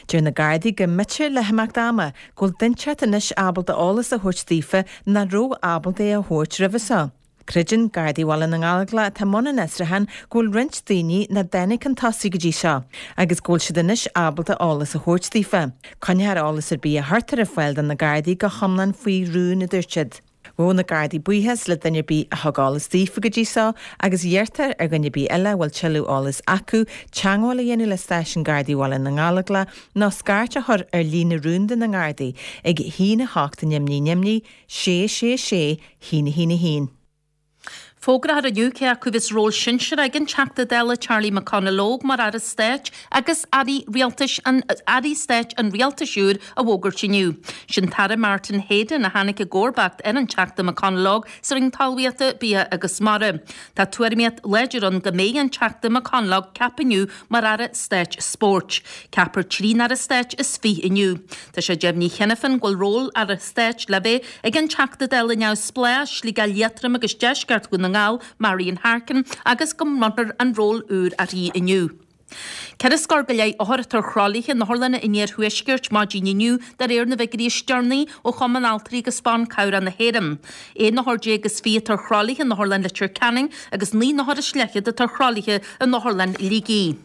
Deir na Gardaí go mb'fhéidir le himeacht ama go bhfuil duine inteacht anois ábalta eolas a thabhairt daofa nach raibh ábalta é a thabhairt roimhe seo. Creideann Gardaí Bhaile na nGallóglach atá i mbun an fhiosrúcháin go bhfuil roinnt daoine nach dtáinig chun tosaigh go dtí seo agus go bhfuil siad anois ábalta eolas a thabhairt daofa. Coinneofar eolas ar bith a chuirtear ar fáil do na Gardaí go hiomlán faoi rún, a dúirt siad. Ghabh na Gardaí buíochas le duine ar bith a thug eolas daofa go dtí seo agus iarrtar ar dhuine ar bith eile a bhfuil tuilleadh eolais acu teagmháil a dhéanamh le Stáisiún Gardaí Bhaile na nGallóglach nó scairt a chur ar líne rúnda na nGardaí ag a haon a hocht neamh neamh neamh, sé sé sé, haon a haon a haon. Fógrófar inniu cé acu a bheas ról sinsearach ag an Teachta Dála Charlie McConalogue mar Aire Stáit agus Airí Rialtais an Airí Stáit an Rialtais úir a bhfógairt inniu. Sin tAire Martin Heydon a tháinig i gcomharbacht ar an Teachta McConalogue sa Roinn Talmhaíochta, Bia agus Mara. Tá tuairimíocht láidir ann go mbeidh an Teachta McConalogue ceaptha inniu mar Aire Stáit Spóirt. Ceapfar trí nAire Stáit is fiche inniu. Tá sé deimhnithe cheana féin go bhfuil ról Aire Stáit le bheith ag an Teachta Dála neamhspleách, Sligeach Liatroim agus Deisceart Dhún na nGall, Marian Harkin, agus go mbronnfar an ról úr uirthi inniu. Ceithre scór go leith othar atá ar thralaithe in otharlanna an iarthuaiscirt maidin inniu de réir na bhfigiúirí is deireanaí ó Chumann Altraí agus Ban Cabhrach na hÉireann. Aon othar déag is fiche atá ar thralaithe in Otharlann Leitir Ceanainn agus naoi n-othar is leathchéad atá ar thralaithe in Otharlann Shligigh.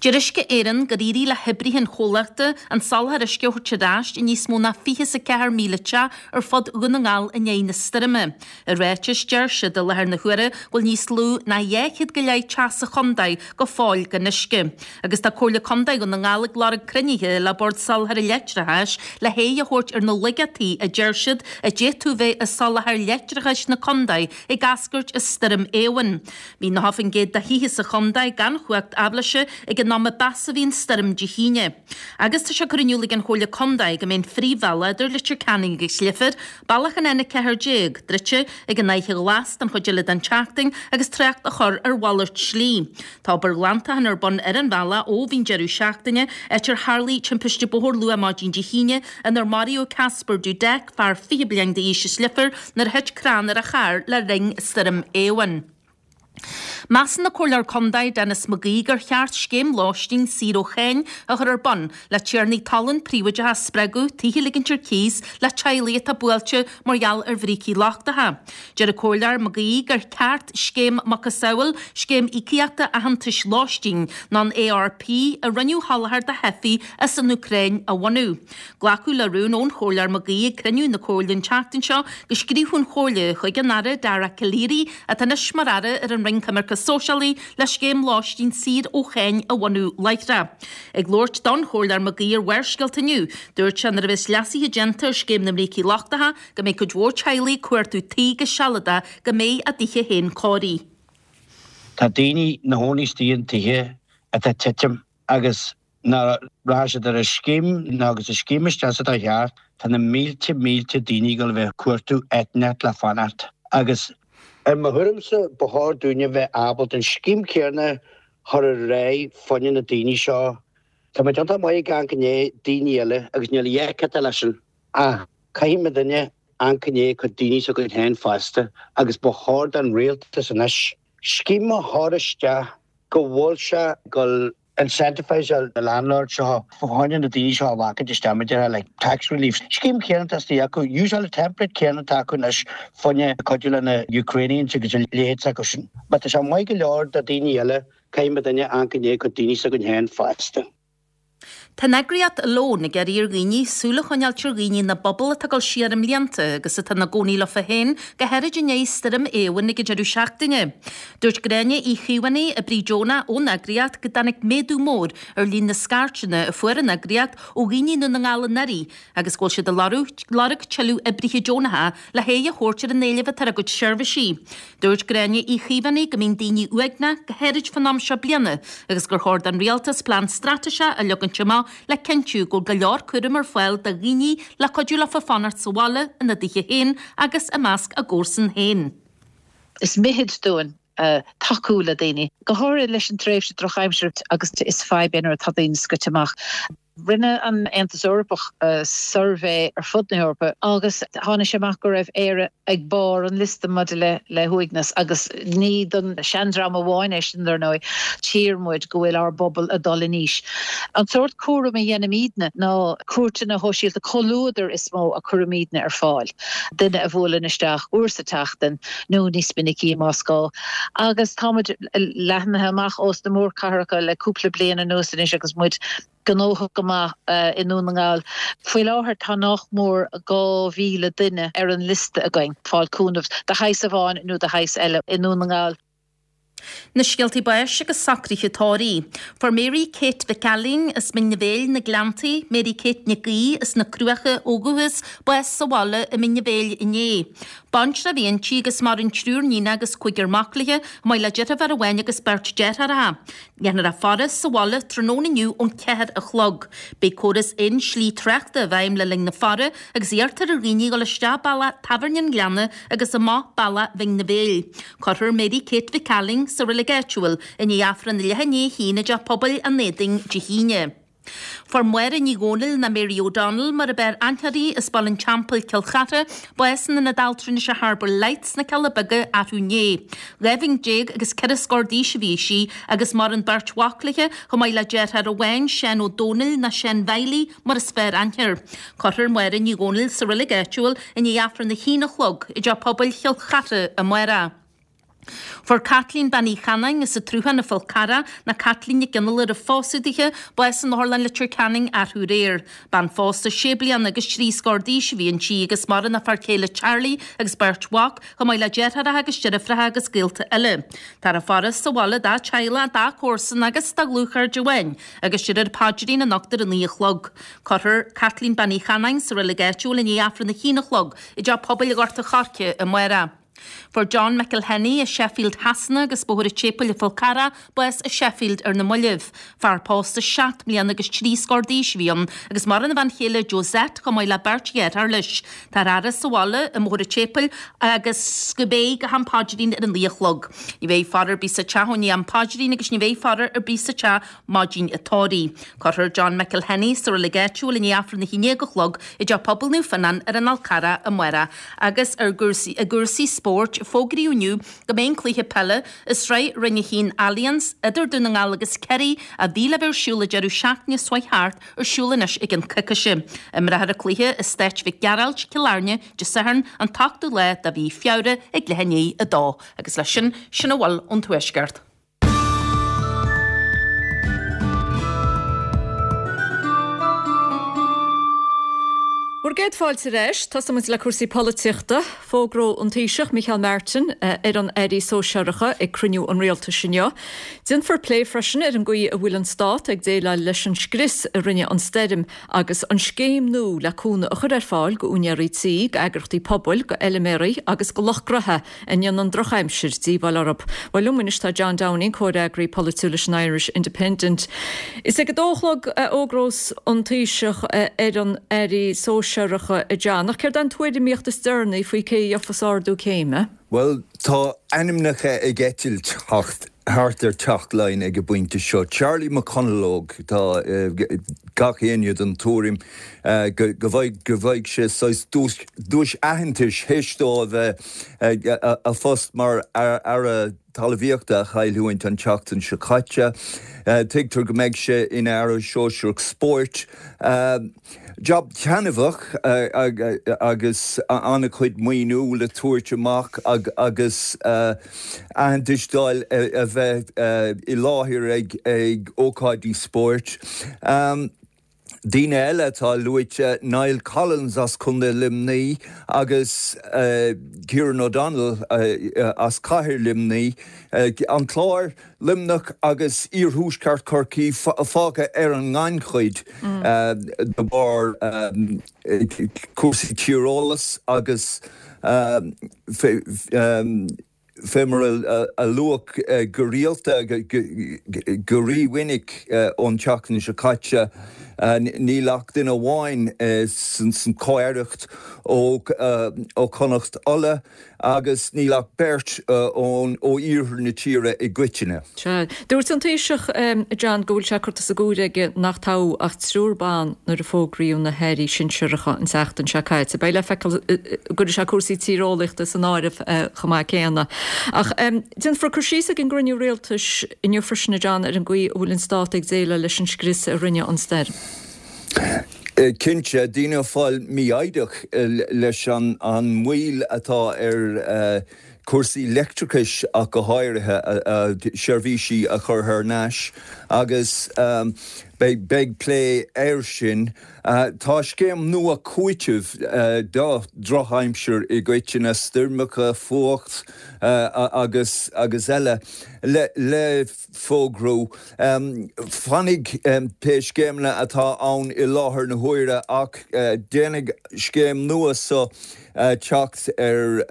Deir Uisce Éireann gur éirigh le hoibrithe an chomhlachta an soláthar uisce a thabhairt ar ais i níos mó ná fiche is a ceathair míle teach ar fud Dhún na nGall i ndiaidh na stoirme. I ráiteas, deir siad i láthair na huaire go bhfuil níos lú ná dhá chéad go leith teach sa chontae go fóill gan uisce. Agus tá Comhairle Contae Dhún na nGall ag lorg cruinnithe le Bord Soláthair Leictreachais le haghaidh a thabhairt ar na laigeachtaí a deir siad a d'fhéadfadh bheith i soláthar leictreachais na contae ag eascairt as Stoirm Éowyn. Bhí nócha faoin gcéad de thithe sa chontae gan chumhacht aibhléise ag an am a b'fheasa a bhí an stoirm Dé hAoine. Agus tá sé curtha in iúl ag an Chomhairle Contae go mbeidh an phríomhbhealach idir Leitir Ceanainn agus Leifear, bealach an N a ceathair déag, druidte ag an Fhaiche Ghlas don chuid eile den tseachtain agus trácht á chur ar mhalairt slí. Tá obair ghlantacháin ar bun ar an bhealach ó bhí an deireadh seachtaine, áit ar tharlaigh timpiste bóthair luath maidin Dé hAoine inar maraíodh Casper Dudek, fear fiche bliain d'aois as Leifear, nuair a thit crann ar a charr le linn Stoirm Éowyn. Measann an Comhairleoir Contae Denis McGee gur cheart scéim lóistín saor ó cháin a chur ar bun le tiarnaí talún príobháideacha a spreagadh tithe a ligint ar cíos le teaghlaigh atá buailte mar gheall ar bhrící lochtacha. Deir an Comhairleoir McGee gur ceart scéim macasamhail Scéim Íocaíochta Aitheantais Lóistín nó an ARP a rinneadh a sholáthar do theifigh as an Úcráin a bhunú. Glacadh le rún ón Chomhairleoir McGee ag cruinniú na Comhairle an tseachtain seo go scríobhadh an Chomhairle chuig an Aire Dara Calleary, atá anois mar Aire ar an Roinn Coimirce Sóisialaí, le scéim lóistín saor ó cháin a bhunú láithreach. Ag labhairt don Chomhairleoir McGee ar Bharrscéalta inniu, dúirt sé nuair a bheas leasuithe déanta ar scéim na mbrící lochtacha go mbeidh cuid mhór teaghlaigh ag cuartú tí go sealadach go mbeidh a dtithe féin cóirithe. Tá daoine 'na gcónaí istigh in tithe atá ag titim agus nuair a rachaidh siad ar an scéim nó agus an scéim isteach sa dá cheart, tá na mílte mílte daoine ag dul a bheith ag cuartú áit inteacht le fanacht agus i mo thuairimse ba chóir dúinne bheith ábalta an scéim céanna a chur ar aghaidh fá choinne na daoine seo. Tá muid iontach maith ag amharc i ndiaidh daoine eile agus níl a dhath ceart leis sin ach caithfidh muidinne amharc i ndiaidh cuid daoine s'againn féin fosta agus ba chóir don rialtas anois scéim a chur isteach go bhfuil sé ag dul incentiviseáil na landlords seo fá choinne na daoine seo a ghlacadh isteach mar a déarfá like tax relief. Scéim chéanna atá istigh acu, úsáil an template céanna atá acu anois fá choinne cuidiú le na Ukrainians agus a leithéid s'acu sin. Má tá sé maith go leor do daoine eile, caithfidh muidinne amharc i ndiaidh cuid daoine s'againn féin fosta. Tá an eagraíocht Alone ag iarraidh ar dhaoine súil a choinneáilt ar dhaoine ina bpobal atá ag dul siar i mblianta agus atá ina gcónaí leofa féin, go háirid i ndiaidh Stoirm Éowyn ag an deireadh seachtaine. Dúirt Gráinne Uí Chaomhánaigh, oibrí deonach ón eagraíocht, go dtáinig méadú mór ar líon na scairteanna a fuair an eagraíocht ó dhaoine i nDún na nGall anuraidh agus go bhfuil siad ag lorg tuilleadh oibrithe deonacha le haghaidh a thabhairt ar an éileamh atá ar a gcuid seirbhísí. Dúirt Gráinne Uí Chaomhánaigh go mbíonn daoine uaigneach, go háirid fán am seo bliana, agus gur chóir don rialtas plean straitéiseach a leagaint amach le cinntiú go bhfuil go leor cúraim ar fáil do dhaoine le cuidiú leofa fanacht sa bhaile ina dtithe féin agus i measc a gcomharsan féin. Is mithid dúinn tacú le daoine, go háirithe leis an tréimhse drochaimsire agus is fadhb é nuair atá daoine scoite amach. Rinne an Aontas Eorpach suirbhé ar fud na hEorpa agus tháinig sé amach go raibh Éire ag barr an liosta maidir le le huaigneas agus ní don seandream amháin é sin dar ndóigh. Tchí muid go bhfuil ár bpobal ag dul in aois. An sórt cúraim a dhéanaimidne ná cuairteanna shóisialta comhluadair is mó a chuirimidne ar fáil. Duine a bhuaileann isteach uair sa tseachtain nó níos minicí más gá. Agus táimid leathnaithe amach ós na mórchathracha le cúpla bliain anuas anois agus muid gnóthach go maith i nDún na nGall. Faoi láthair tá nach mór dhá mhíle duine ar an liosta againn ag fáil cúnamh de shaghas amháin nó de shaghas eile i nDún na nGall. Na scéaltaí báis agus socruithe tórraimh. Fuair Mary Kate Mhic Ailín as Mín an Bhéil, Na Gleanntaí, Mary Kate Nic Aoidh as na Cruacha ó dhúchas, bás sa bhaile i Mín an Bhéil inné. Baintreach a bhí inti agus maireann triúr níonacha agus cúigear mac léi, chomh maith le deirfiúr amháin agus beirt deartháireacha. Déanfar a faire sa bhaile tráthnóna inniu ón ceathair a chlog. Beidh córas aon slí tráchta i bhfeidhm le linn na faire agus iarrtar ar dhaoine dul isteach bealach Tábhairne an Ghleanna agus amach bealach Bhinn na Bhéil. Cuirfear Mary Kate Mhic Ailín sa reilig áitiúil i ndiaidh Aifreann a leath i ndiaidh a haon i dTeach Pobail an Éadain Dé hAoine. Fuair Máire Ní Dhomhnaill ná Mary O'Donnell mar ab fhearr aithne uirthi as Baile an Teampaill, Cill Chartha, bás in Ionad Altranais Harbour Lights sna Cealla Beaga arú inné. Dhá bhliain déag agus ceithre scór d'aois a bhí sí agus maireann beirt mhac léi, chomh maith le deartháir amháin, Seán Ó Domhnaill ná Seán Mhiley mar is fearr aithne air. Cuirfear Máire Ní Dhomhnaill sa reilig áitiúil i ndiaidh Aifreann a haon a chlog i dTeach Pobail Chill Chartha amárach. Fuair Caitlín Bean Uí Chanáin as an tSruthán an Fhál Carrach ná Caitlín Nic Fhionnghaile roimh phósadh dithe, bás in Otharlann Leitir Ceanainn arú aréir. Bean phósta sé bliana agus trí scór d'aois a bhí inti agus maireann a fear céile Charlie agus beirt mhac, chomh maith le deartháireacha agus deirfiúracha agus gaolta eile. Táthar ag faire sa bhaile dá teaghlach, dá comharsana agus dá dhlúthchairde amháin agus déarfar paidrín anocht ar a naoi a chlog. Cuirfear Caitlín Bean Uí Chanáin sa reilig áitiúil i ndiaidh Aifreann a haon a chlog i dTeach Pobail Ghort an Choirce amárach. Fuair John McElhenney as Sheffield Shasana agus Bóthar an tSéipéil an Fál Carrach bás i Sheffield ar na mallaibh. Fear pósta seacht mbliana agus trí scór d'aois a bhí ann agus maireann a bhean chéile Josette chomh maith le beirt dheartháir leis. Táthar á fhaire sa bhaile i mBóthar an tSéipéil agus go mbeidh go ham paidrín ar a naoi a chlog. Ní bheidh faire ar bith sa teach ó i ndiaidh am paidrín agus ní bheidh faire ar bith sa teach maidin an tórraimh. Cuirfear John McElhenney sa reilig áitiúil i ndiaidh Aifreann a haon déag a chlog i dTeach Pobail Naomh Fionnán ar an Fhál Carrach amárach agus ar gcúrsaí i gcúrsaí spóirt, fógraíodh inniu go mbeidh an cluiche peile i Sraith Roinn a haon Allianz idir Dún na nGall agus Ciarraí a bhí le bheith ar siúl an deireadh seachtaine seo chuaigh thart ar siúl anois i gceann coicíse. Imreofar an cluiche i Stáid Mhic Gearailt, Cill Airne, Dé Sathairn an t-ochtú lá de mhí Feabhra ag leath i ndiaidh a dó. Agus leis sin, sin a bhfuil ón Tuaisceart. Bhur gcéad fáilte ar ais. Tosóidh muid le cúrsaí polaitíochta. Fógróidh an Taoiseach Micheál Martin ar an airí sóisearacha ag cruinniú an rialtais inniu. Déanfar plé freisin ar an gcaoi a bhfuil an stát ag déileáil leis an scrios a rinne an stoirm agus an scéim nua le cúnamh a chur ar fáil go úinéirí tí, go eagraíochtaí pobail, go fheilméaraí agus go lucht gnaithe a ndéanann drochaimsir díobháil orthu. Bhuel liom anois tá John Downing, comhfhreagraí polaitiúil leis an Irish Independent. Is ag a dó a chlog a fhógrós an Taoiseach ar an airí sóisearacha a John, ach céard é an tuairimíocht is deireanaí faoi cé a gheofas ardú céime? Bhuel, tá ainmneacha ag eitilt thart ar Teach Laighean ag an bpointe seo. Charlie McConalogue, tá gach éinne den tuairim go bhfaighidh sé saghas duais aitheantais théis dó a bheith a phost mar Aire Talmhaíochta a chailliúint an tseachtain seo caite. Tuigtear go mbeidh sé ina Aire Sóisearach Spóirt. Jab taitneamhach agus an-chuid maoiniú le tabhairt amach agus aitheantas d'fháil a bheith i láthair ag ócáidí spóirt. Daoine eile atá luaite, Niall Collins as Contae Luimnigh agus Kieran O'Donnell as Cathair Luimnigh, an Clár, Luimneach agus Iarthuaisceart Chorcaí fágtha ar an ngannchuid de bharr cúrsaí tíreolais agus fé mar a luadh go rialta, go rímhinic ón tseachtain seo caite, níl ach duine amháin san chomh-aireacht ó Chonnacht Uladh agus níl ach beirt ó iarthar na tíre i gcoitinne. Sea. Dúirt an Taoiseach, John, go bhfuil sé curtha as a gcomhair aige nach toghadh ach triúr ban nuair a fógraíodh na hairí sinsearacha an tseachtain seo caite. Beidh le feiceáil an gcuirfidh sé cúrsaí tíreolaíochta san áireamh chomh maith céanna. Ach déanfar cur síos ag an gcruinniú rialtais inniu freisin, a John, ar an gcaoi a bhfuil an stát ag déileáil leis an scrios a rinne an stoirm. Cinnte, daoine ag fáil mífhoighdeach leis an moill atá ar chúrsaí leictreachais ach go háirithe, seirbhísí a chur thar n-ais agus beidh plé air sin. Tá scéim nua cúitimh do dhrochaimsir i gcoitinne, stoirmeacha, fuacht agus agus eile, le fógrú. Fanfaidh pé scéimeanna atá ann i láthair na huaire ach déanfaidh scéim nua so teacht ar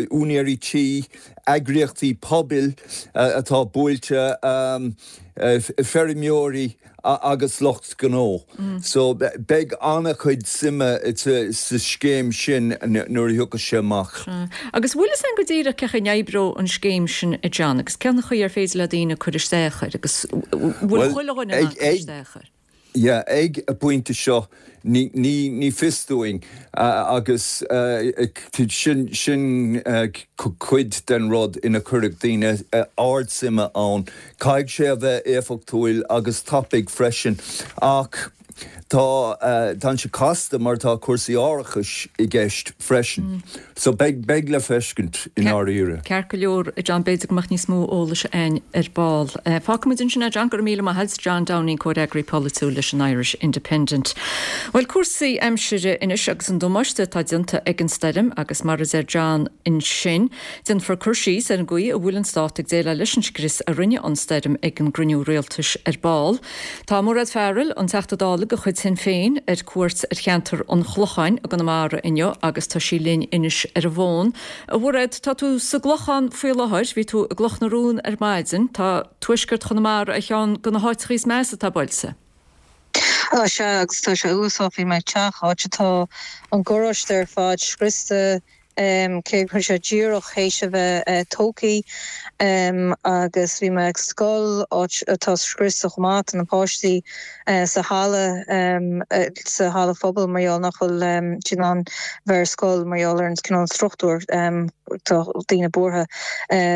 úinéirí tí, eagraíochtaí pobail atá buailte, feirmeoirí agus lucht gnó. So beidh an-chuid suime sa scéim sin nuair a thiocfas sé amach. Agus bhfuil fhios againn go díreach cén chaoi a n-oibreoidh an scéim sin, a John, agus cén chaoi ar féidir le daoine cur isteach air agus bhfuil chuile dhuine in ann cur isteach air? Yeah, ag an bpointe seo ní ní fios dúinn agus sin sin cuid den rud ina cuirfidh daoine ardsuime ann. Caithfidh sé a bheith éifeachtúil agus tapaidh freisin ach tá tá sé casta mar tá cúrsaí árachais i gceist freisin. So beidh beidh le feiscint i ndáiríre. Ceart go leor, a John, b'fhéidir go mbeadh níos mó eolais againn ar ball. Fágfaimid ansin é, John, go raibh míle maith agat, John Downing, comhfhreagraí polaitiúil leis an Irish Independent. Bhuel, cúrsaí aimsire anois agus an damáiste atá déanta ag an stoirm agus mar a deir John ansin, déanfar cur síos ar an gcaoi a bhfuil an stát ag déileáil leis an scrios a rinne an stoirm ag an gcruinniú rialtais ar ball. Tá Mairéad Farrell, an Teachta Dála de chuid Shinn Féin, ar cuairt ar cheantar an Chlocháin i gConamara inniu agus tá sí linn anois ar an bhfón. A Mhairéad, tá tú sa gClochán faoi láthair, bhí tú i gCloch na Rón ar maidin, tá tuaisceart Chonamara ar cheann de na háiteacha is measa atá buailte. Á sea, agus tá sé uafásach, bhí mé ag teach, áit atá an garáiste ar fad scriosta, cé go bhfuil sé díreach théis a bheith tógtha agus bhí mé ag scoil, áit atá scriosta chomh maith, tá na páistí sa halla, sa halla phobail mar gheall nach bhfuil siad in ann bheith ar scoil mar gheall ar an cineál struchtúr, tá daoine buartha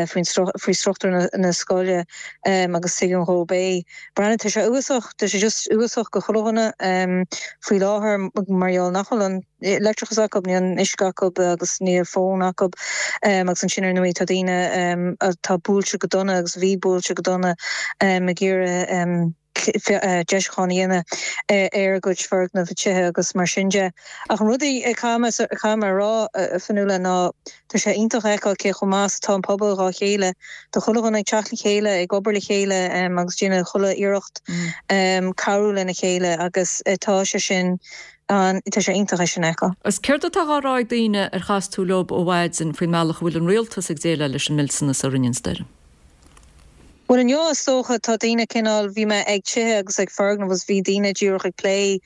faoin faoi struchtúr na scoile agus tuigim dhóibh é. Breathnaigh, tá sé uafásach, tá sé just uafásach do chuile dhuine faoi láthair mar gheall nach bhfuil an. leictreachas acu, níl an uisce acu agus níl fón acu agus ansin ar ndóigh tá daoine atá buailte go dona agus a bhí buailte go dona ag iarraidh deisiúchán a dhéanamh ar a gcuid foirgneamh, tithe agus mar sin de. Ach an rud a caithfidh mé a rá, a Fionnuala, ná tá sé iontach a fheiceáil cé chomh maith is atá an pobal dhá chéile. Tá chuile dhuine ag teacht le chéile, ag obair le chéile agus déanamh chuile iarracht cabhrú lena chéile agus tá sé sin An, tá sé iontach é sin a fheiceáil. Agus céard atá á rá ag daoine ar chas tú leo ó mhaidin faoin mbealach a bhfuil an rialtas ag déileáil leis an millteanas a rinne an stoirm? Bhuel inniu is dócha tá daoine cineál, bhí mé ag tithe agus ag foirgnimh agus bhí daoine díreach ag plé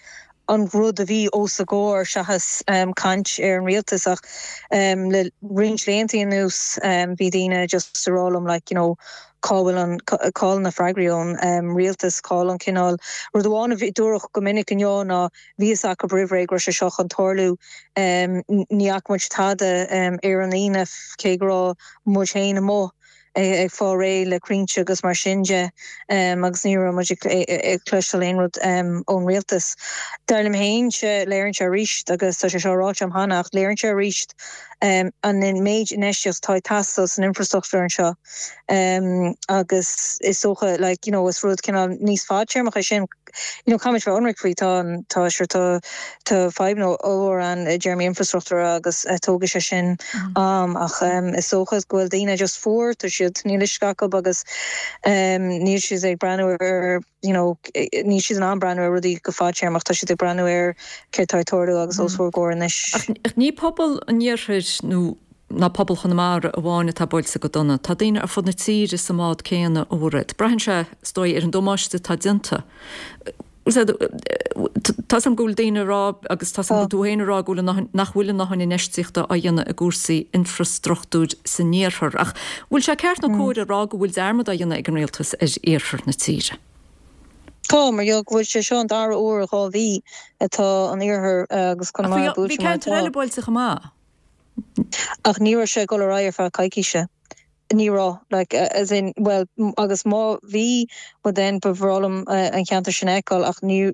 an rud a bhí os a gcomhair seachas caint ar an rialtas ach le roinnt laethanta anuas bhí daoine just ag rá liom like you know cá bhfuil an, cá bhfuil na freagraí ón rialtas, cá bhfuil an cineál, rud amháin a dúradh go minic inniu ná bhí fhios acu roimh ré go raibh sé seo chun tarlú, ní fhaca muid tada ar an Aoine cé go raibh muid féin amuigh ag fáil réidh le crainnte agus mar sin de agus ní raibh muid ag cloisteáil aon rud ón rialtas. Dar liom féin, léiríonn sé arís, agus tá sé seo ráite agam cheana, ach léiríonn sé arís an méid infheistíocht atá ag teastáil san infrastruchtúr anseo agus is dócha like you know is rud cineál níos fadtéarmach é sin you know caithfimid bheith ionraic faoi tá tá sure tá tá fadhbanna ollmhór ann i dtéarmaí infrastruchtúr agus tógfaidh sé sin am ach is dócha go bhfuil daoine just fuar tá siad níl uisce acu agus níl siad ag breathnú ar you know níl siad in ann breathnú ar rudaí go fadtéarmach tá siad ag breathnú ar céard atá ag tarlú agus os bhur gcomhair anois. Ach ní pobal an iarthair nó ná pobal Chonamara amháin atá buailte go dona. Tá daoine ar fud na tíre sa mbád céanna, a Mhairéad. Braitheann sé, is dóigh, ar an damáiste atá déanta. Tá 's agam go bhfuil daoine ag rá, agus tá 's agam go bhfuil tú féin ag rá, go bhfuil nach bhfuil a ndóthain infheistíochta á dhéanamh i gcúrsaí infreastruchtúir san iarthar. Ach bhfuil sé ceart nó cóir a rá go bhfuil dearmad á dhéanamh ag an rialtas ar iarthar na tíre? Tá, mar gheall go bhfuil sé seo an dara huair i dhá mhí atá an iarthar agus Conamara buailte mar atá. Bhí ceantair eile buailte chomh maith. Ach ní raibh sé ag dul ar aghaidh ar feadh coicíse. Ní raibh, like, as in, bhuel, agus má bhí, well then ba bhreá liom an ceantar sin a fheiceáil ach ní,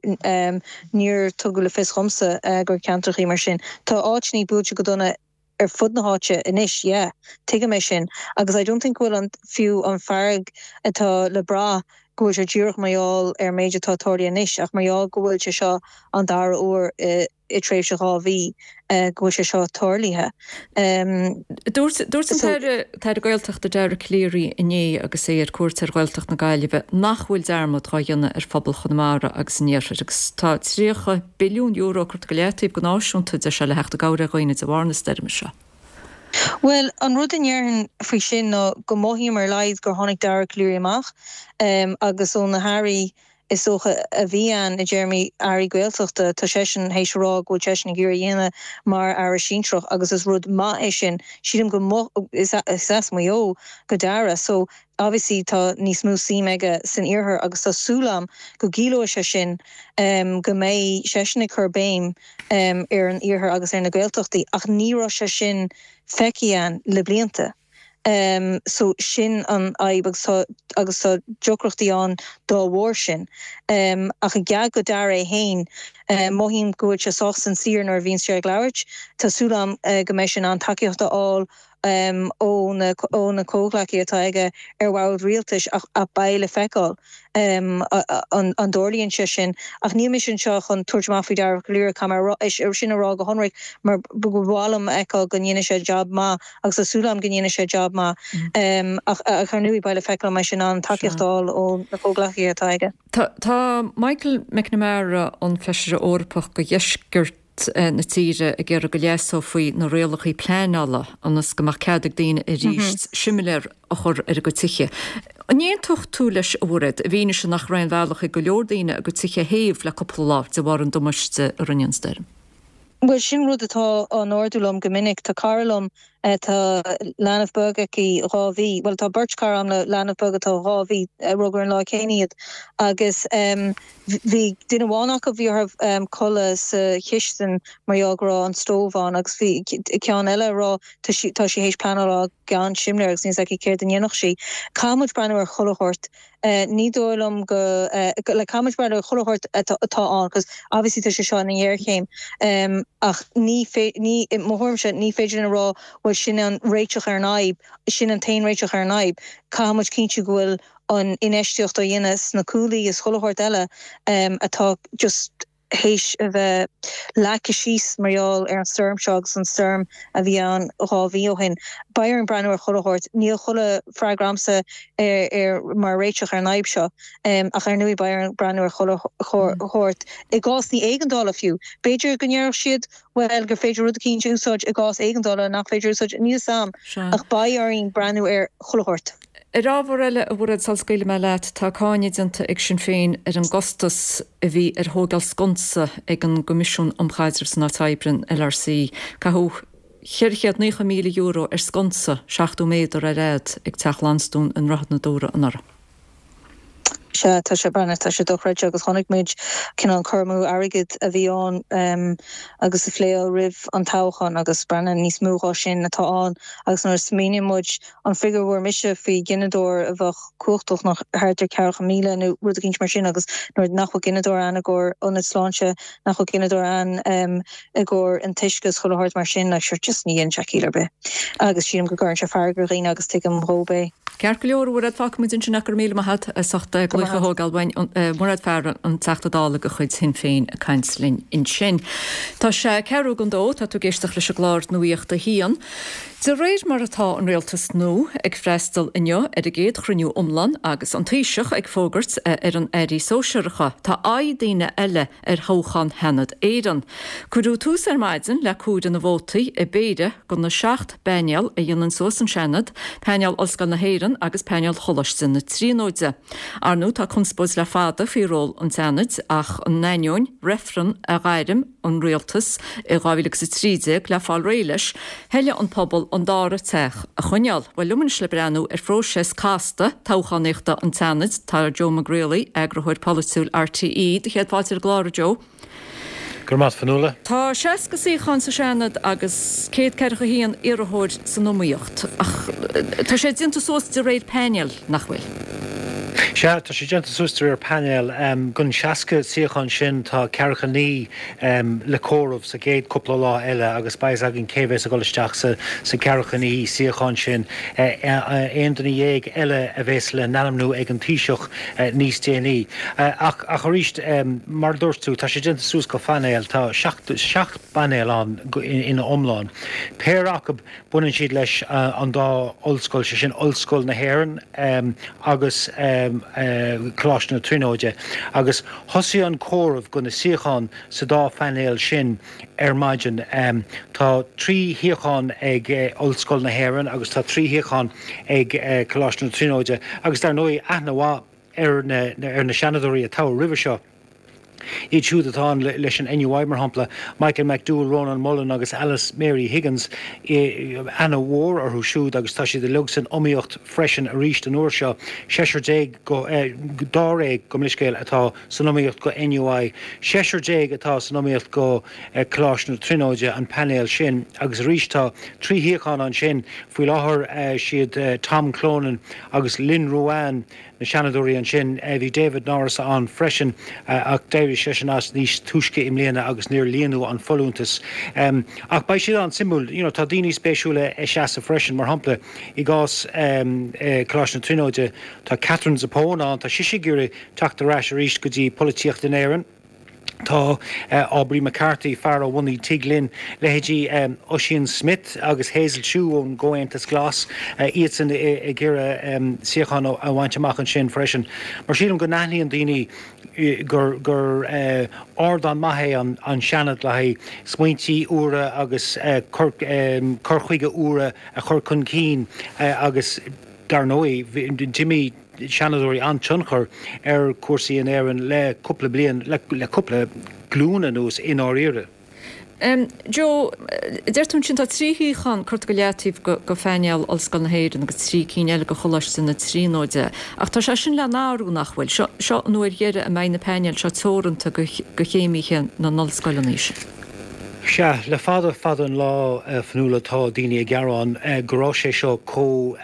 níor tugadh le fios dhomsa gur ceantrachaí mar sin. Tá áiteannaí buailte go dona ar fud na háite anois, yeah, tuigim é sin agus I don't think go bhfuil an, fiú an fearg atá le brath go bhfuil sé díreach mar gheall ar an méid atá tarlaithe anois ach mar gheall go bhfuil sé seo an dara huair i i tréimhse dhá mhí go bhfuil sé seo tarlaithe. Dúirt dúirt an tAire tAire Gaeltachta Dara Calleary inné agus é ar cuairt ar Ghaeltacht na Gaillimhe nach bhfuil dearmad dhá dhéanamh ar phobal Chonamara agus an Iarthair agus tá tríocha billiún euro curtha go leataobh go náisiúnta deir sé le theacht i gcabhair ar dhaoine de bharr na stoirme seo. Bhuel, an rud a ndéarfainn faoi sin ná go mothaím ar a laghad gur tháinig Dara Calleary amach agus ó na hairí is dócha a bhí ann i dtéarmaí airí Gaeltachta, tá seisean théis a rá go bhfuil seisean ag iarraidh a dhéanamh mar aire sinsearach agus is rud maith é sin. Sílim go mo is as Maigh Eo do Dara so obviously tá níos mó suim aige san iarthar agus tá súil agam go gciallóidh sé sin go mbeidh seisean ag cur béim ar an iarthar agus ar na Gaeltachtaí ach ní raibh sé sin feicthe ann le blianta. So sin an fhadhb agus tá agus tá deacrachtaí ann dá bharr sin. Ach i gcead do Dara é féin, mothaím go bhfuil sé sách sincere nuair a bhíonn sé ag labhairt. Tá súil agam go mbeidh sé in ann tacaíocht a fháil ó na ó na comhghleacaithe atá aige ar bhord rialtais ach beidh le feiceáil an an dtarlaíonn sé sin. Ach níl mise anseo chun tabhairt amach faoi Dara Calleary, caithfidh mé é sin a rá go hionraic mar ba mhaith liom a fheiceáil go ndéanfaidh sé jab maith agus tá súil agam go ndéanfaidh sé jab maith. Ach ar ndóigh beidh le feiceáil an mbeidh sé in ann tacaíocht a fháil ó na comhghleacaithe atá aige. Tá Michael McNamara, an Feisire Eorpach do Dheisceart na tíre, ag iarraidh go leasófaí na rialacha pleanála ionas go mbeadh cead ag daoine arís similéar a chur ar a gcuid tithe. An aontódh tú leis, a Mhairéad, i bhfianaise nach raibh aon bhealach ag go leor daoine a gcuid tithe a théamh le cúpla lá de bharr an damáiste a rinne an stoirm? Bhuel, sin rud atá á n-ardú liom go minic. Tá cara liom, tá leanbh beag aici dhá mhí, bhuel tá beirt chara agam le leanbh beag atá dhá mhí, rugadh ar an lá céanna iad, agus bhí duine amháin acu, bhí orthu codladh sa chistin mar gheall go raibh an stove ann agus bhí ceann eile ag rá tá sí tá sí théis pleanáil a fháil gan simléar agus níl 's aici céard a dhéanfadh sí. Caithfidh muid breathnú ar chuile shórt. Ní dóigh liom go, like caithfidh muid breathnú ar chuile shórt atá ann cos obviously tá sé seo ina ghéarchéim ach ní, ní, i mo thuairimse, ní féidir linn a rá bhuel sin an réiteach ar an fhadhb, sin an t-aon réiteach ar an fhadhb. Caithfidh muid cinntiú go bhfuil an infheistíocht á dhéanamh sna cuaillí is chuile shórt eile atá just théis a bheith leagtha síos mar gheall ar an stoirm seo agus an stoirm a bhí ann dhá mhí ó shin. Beidh orainn breathnú ar chuile shórt. Níl chuile freagra a'msa ar mar réiteach ar an fhadhb seo ach ar ndóigh beidh orainn breathnú ar chuile shórt, i gcás ní éigeandála fiú. B'fhéidir go ndéarfadh siad bhuel gur féidir rud eicínt a úsáid i gcás éigeandála nach féidir a úsáid, níl 'fhios a'm ach beidh orainn breathnú ar chuile shórt. Ar ábhar eile, a Mhairéad, sula scaoilfidh mé leat, tá cáineadh déanta ag Sinn Féin ar an gcostas a bhí ar thógáil sconsa ag an gCoimisiún um Chaidreamh san Áit Oibre, an L R C. Caitheadh ceithre chéad naocha míle euro ar sconsa seachtó méadar ar fhad ag Teach Lansdún i nDroichead na Dúra anuraidh. Sea, tá sé breathnach, tá sé dochreidte agus chonaic muid cineál an cur amú airgid a bhí ann agus a phléadh roimh an toghchán agus breathnach níos mó dhá sin atá ann agus nuair a smaoiníonn muid an figiúr a bhfuair mise faoi ghineadóir a bheadh cumhachtach ná thart ar ceathracha míle nó rud eicínt mar sin agus nuair nach bhfuil gineadóir ann i gcomhair ionad sláinte, nach bhfuil gineadóir ann i gcomhair an t-uisce is chuile shórt mar sin, like sure just ní dhéanann sé ciall ar bith agus sílim go gcuireann sé fearg ar dhaoine agus tuigim dhóib é. Ceart go leor, a Mhairéad, fágfaidh muid ansin é, go raibh míle maith agat as ucht glaoch a thógáil uainn, Mairéad Farrell, an Teachta Dála de chuid Shinn Féin ag caint linn ansin. Tá sé ceathrú don dó, tá tú ag éisteacht leis an gclár Nuacht a hAon. De réir mar atá an rialtas nua ag freastal inniu ar a gcéad chruinniú iomlán agus an Taoiseach ag fógairt ar an airí sóisearacha, tá aghaidh daoine eile ar thoghchán Sheanad Éireann. Cuireadh tús ar maidin le comhaireamh na vótaí i bpéire de na seacht bpainéal a dhéanann suas an Seanad, painéal Ollscoil na hÉireann agus painéal Choláiste na Tríonóide. Ar ndóigh tá conspóid le fada faoi ról an tSeanaid ach in ainneoin reifreann a ghairm an rialtas i dhá mhíle agus a trí déag le fáil réidh leis, thoiligh an pobal an dara teach a choinneáil. Bhuel, liom anois le breathnú ar phróiseas casta toghchánaíochta an tSeanaid tá Joe Mac Grealaigh, eagarthóir polaitiúil R T E. Do chéad fáilte ar an gclár, a Joe. Go raibh maith, Fionnuala. Tá seasca suíochán sa Seanad agus céad ceathracha haon iarrthóir san iomaíocht. Ach tá sé déanta suas de réir painéil, nach bhfuil? Sea, tá sé déanta suas de réir painéil. Den seasca suíochán sin tá ceathracha naoi le comhaireamh sa gcéad cúpla lá eile agus beidh a fhios againn cé bheas ag dul isteach sa sa ceathracha naoi suíochán sin. Aon duine dhéag eile a bheas le n-ainmniú ag an Taoiseach níos déanaí. Ach ach arís, mar a dúirt tú, tá sé déanta suas go phainéil, tá seacht seacht bpainéal ann ina iomlán. Péire acu baineann siad leis an dá ollscoil, sé sin Ollscoil na hÉireann agus Coláiste na Tríonóide, agus thosaigh an comhaireamh go na suíocháin sa dá phainéal sin ar maidin. Tá trí shuíochán ag Ollscoil na hÉireann agus tá trí shuíochán ag Coláiste na Tríonóide agus dar ndóigh aithne mhaith ar na ar na seanadóirí a toghadh roimhe seo. Iad siúd atá ann leis an N U I mar shampla, Michael McDowell, Rónán Mullen agus Alice Mary Higgins, aithne mhór orthu siúd agus tá siad uilig san iomaíocht freisin arís an uair seo. Seisear déag go dáréag gabh mo leithscéal atá san iomaíocht go N U I, seisear déag atá san iomaíocht go Coláiste na Tríonóide, an painéal sin, agus arís tá trí shuíochán ansin faoi láthair siad Tom Clonan agus Lynn Ruane na seanadóirí ansin. Bhí David Norris ann freisin ach d'éirigh seisean as níos túisce i mbliana agus níor líonadh an folúntas. Ach beidh siad an-suimiúil, you know, tá daoine spéisiúla ag seasamh freisin, mar shampla i gcás Coláiste na Tríonóide tá Katherine Zappone ann, tá sise ag iarraidh teacht ar ais arís go dtí polaitíocht in Éirinn. Tá Aubrey McCarthy, fear a bhunaigh Tig Linn, leithéidí Ossian Smyth agus Hazel Chu ón gComhaontas Glas, iadsan ag iarraidh suíochán a bhaint amach ansin freisin. Mar sílim go n-aithníonn daoine gur gur ardán maith é an an Seanad le haghaidh smaointí úra agus cur cur chuige úra a chur chun cinn agus dar ndóigh d'imir seanadóirí an-tionchar ar chúrsaí in Éirinn le cúpla bliain le le cúpla glúin anuas i ndáiríre. Um, Joe, deir tú sin tá trí shuíochán curtha go leataobh go, go phainéal Ollscoil na hÉireann agus trí cinn eile go Choláiste na Tríonóide. Ach tá sé sin le n-athrú nach bhfuil. Seo, seo an uair dheiridh a mbeidh na painéil seo teoranta go, go chéimithe na n-ollscoileanna sin. Sea, le fada fada an lá Fionnuala tá daoine ag gearán go raibh sé seo chomh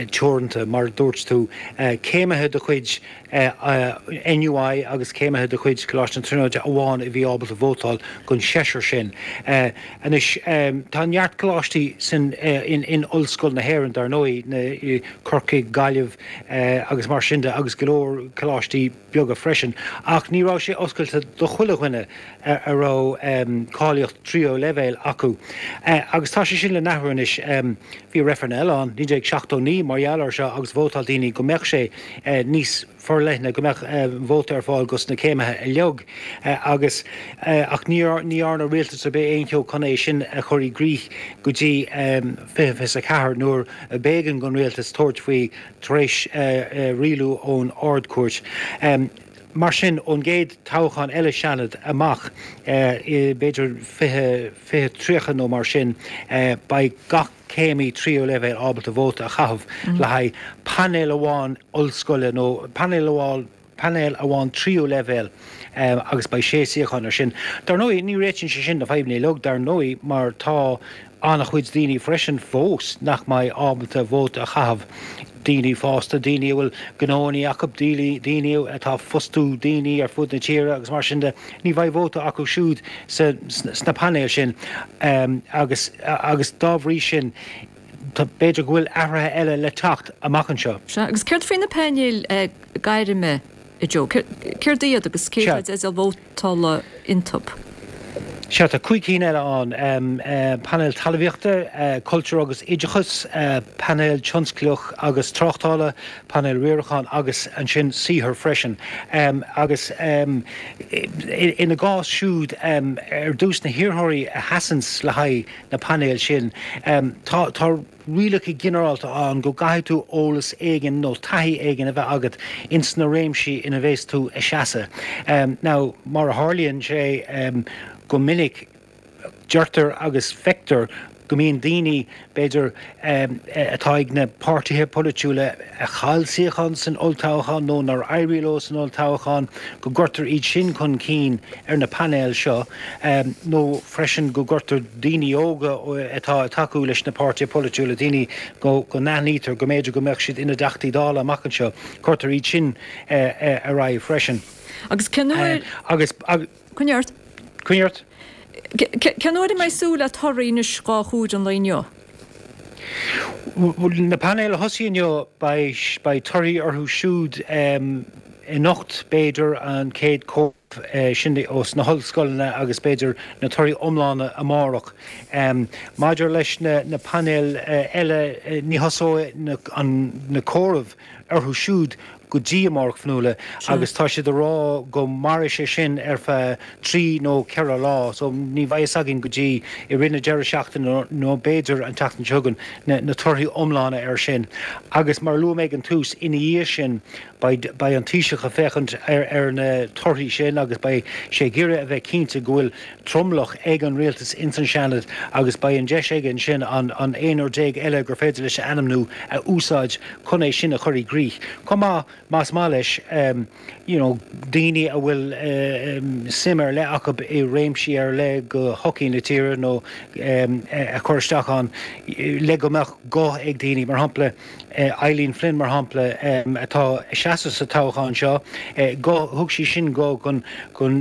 teoranta mar dúirt tú céimithe de chuid N U I agus céimithe de chuid Coláiste na Tríonóide amháin a bhí ábalta vótáil don seisear sin. Anois tá neart coláistí sin in, in Ollscoil na hÉireann dar ndóigh na Corcaigh Gaillimh agus mar sin de agus go leor coláistí beaga freisin, ach ní raibh sé oscailte do chuile dhuine a raibh cáilíocht tríú leibhéal acu. Agus tá sé sin le n-athrú anois bhí reifreann eile ann, naoi déag seachtó naoi mar gheall air seo agus vótáil daoine go mbeadh sé níos forleithne go mbeadh vóta ar fáil dos na céimithe uilig agus ach ní ní dhearna rialtas ar bith aon cheo chun é sin a chur i gcrích go dtí fiche fiche a ceathair nuair a b'éigean don rialtas tabhairt faoi tar éis rialú ón Ard-Chúirt. Mar sin, ón gcéad toghchán eile Seanad amach, b'fhéidir fiche, fiche tríocha nó mar sin, beidh gach céimí tríú leibhéal ábalta vóta a chaitheamh le haghaidh painéal amháin ollscoile nó painéal amháin, painéal amháin tríú leibhéal agus beidh sé suíochán air sin. Dar ndóigh, ní réitíonn sé sin na fadhbanna uilig, dar ndóigh, mar tá an-chuid daoine freisin fós nach mbeidh ábalta vóta a chaitheamh, daoine fásta, daoine a bhfuil gnóanna acu, daoine atá ag fostú daoine ar fud na tíre agus mar sin de, ní bheidh vóta acu siúd sna painéil sin agus agus dá bhrí sin b'fhéidir go bhfuil athruithe eile le teacht amach anseo. Sea, agus céard faoi na painéil gairme, a Joe? Céard iad agus cé atá i dteideal vótála iontu? Sea, tá cúig cinn eile ann, painéal talmhaíochta, cultúr agus oideachas, painéal tionsclaíoch agus tráchtála, painéal riaracháin agus ansin saothair freisin. Agus ina gcás siúd, ar dtús na hiarrthóirí a sheasanns le haghaidh na painéal sin, tá tá rialacha ginearálta ann go gcaithfidh tú eolas éigin nó taithí éigin a bheith agat ins na réimsí ina bheas tú ag seasamh. Now, mar a tharlaíonn sé go minic, deirtear agus feictear go mbíonn daoine, b'fhéidir, atá ag na páirtithe polaitiúla a chaill suíochán san olltoghchán nó nár éirigh leo san olltoghchán, go gcuirtear iad sin chun cinn ar na painéil seo nó freisin go gcuirtear daoine óga atá ag tacú leis na páirtithe polaitiúla, daoine go n-aithnítear go mb'fhéidir go mbeadh siad ina dTeachtaí Dála amach anseo, cuirtear iad sin ar aghaidh freisin. Agus cén uair. Agus. Coinnigh ort. Coinnigh ort. Cén uair a mbeidh súil le torthaí anois dhá thuar an lae inniu? Na painéil a thosaigh inniu, beidh torthaí orthu siúd anocht, b'fhéidir, an chéad chomhaireamh sin ós na hollscoileanna agus b'fhéidir na torthaí iomlána amárach. Maidir leis na painéil eile, ní thosóidh na comhairimh orthu siúd go dtí amárach, a Fhionnuala, agus tá siad ag rá go mairfidh sé sin ar feadh trí nó ceithre lá, so ní bheidh fhios againn go dtí i rith na deireadh seachtaine nó b'fhéidir an tseachtain seo chugainn na torthaí iomlána air sin. Agus mar a luaigh mé ag an tús, ina dhiaidh sin beidh beidh an Taoiseach ag féachaint ar ar na torthaí sin agus beidh sé ag iarraidh a bheith cinnte go bhfuil tromlach ag an rialtas ins an Seanad agus beidh an deis aige ansin an an aonúr déag eile gur féidir leis a ainmniú a úsáid chun é sin a chur i gcrích. Chomh maith, más maith leis, you know daoine a bhfuil suim ar leith acu i réimsí ar leith de shochaí na tíre nó a chur isteach ann le go mbeadh guth ag daoine, mar shampla Eileen Flynn mar shampla atá ag seasamh sa toghchán seo, guth, thug sí sin guth don don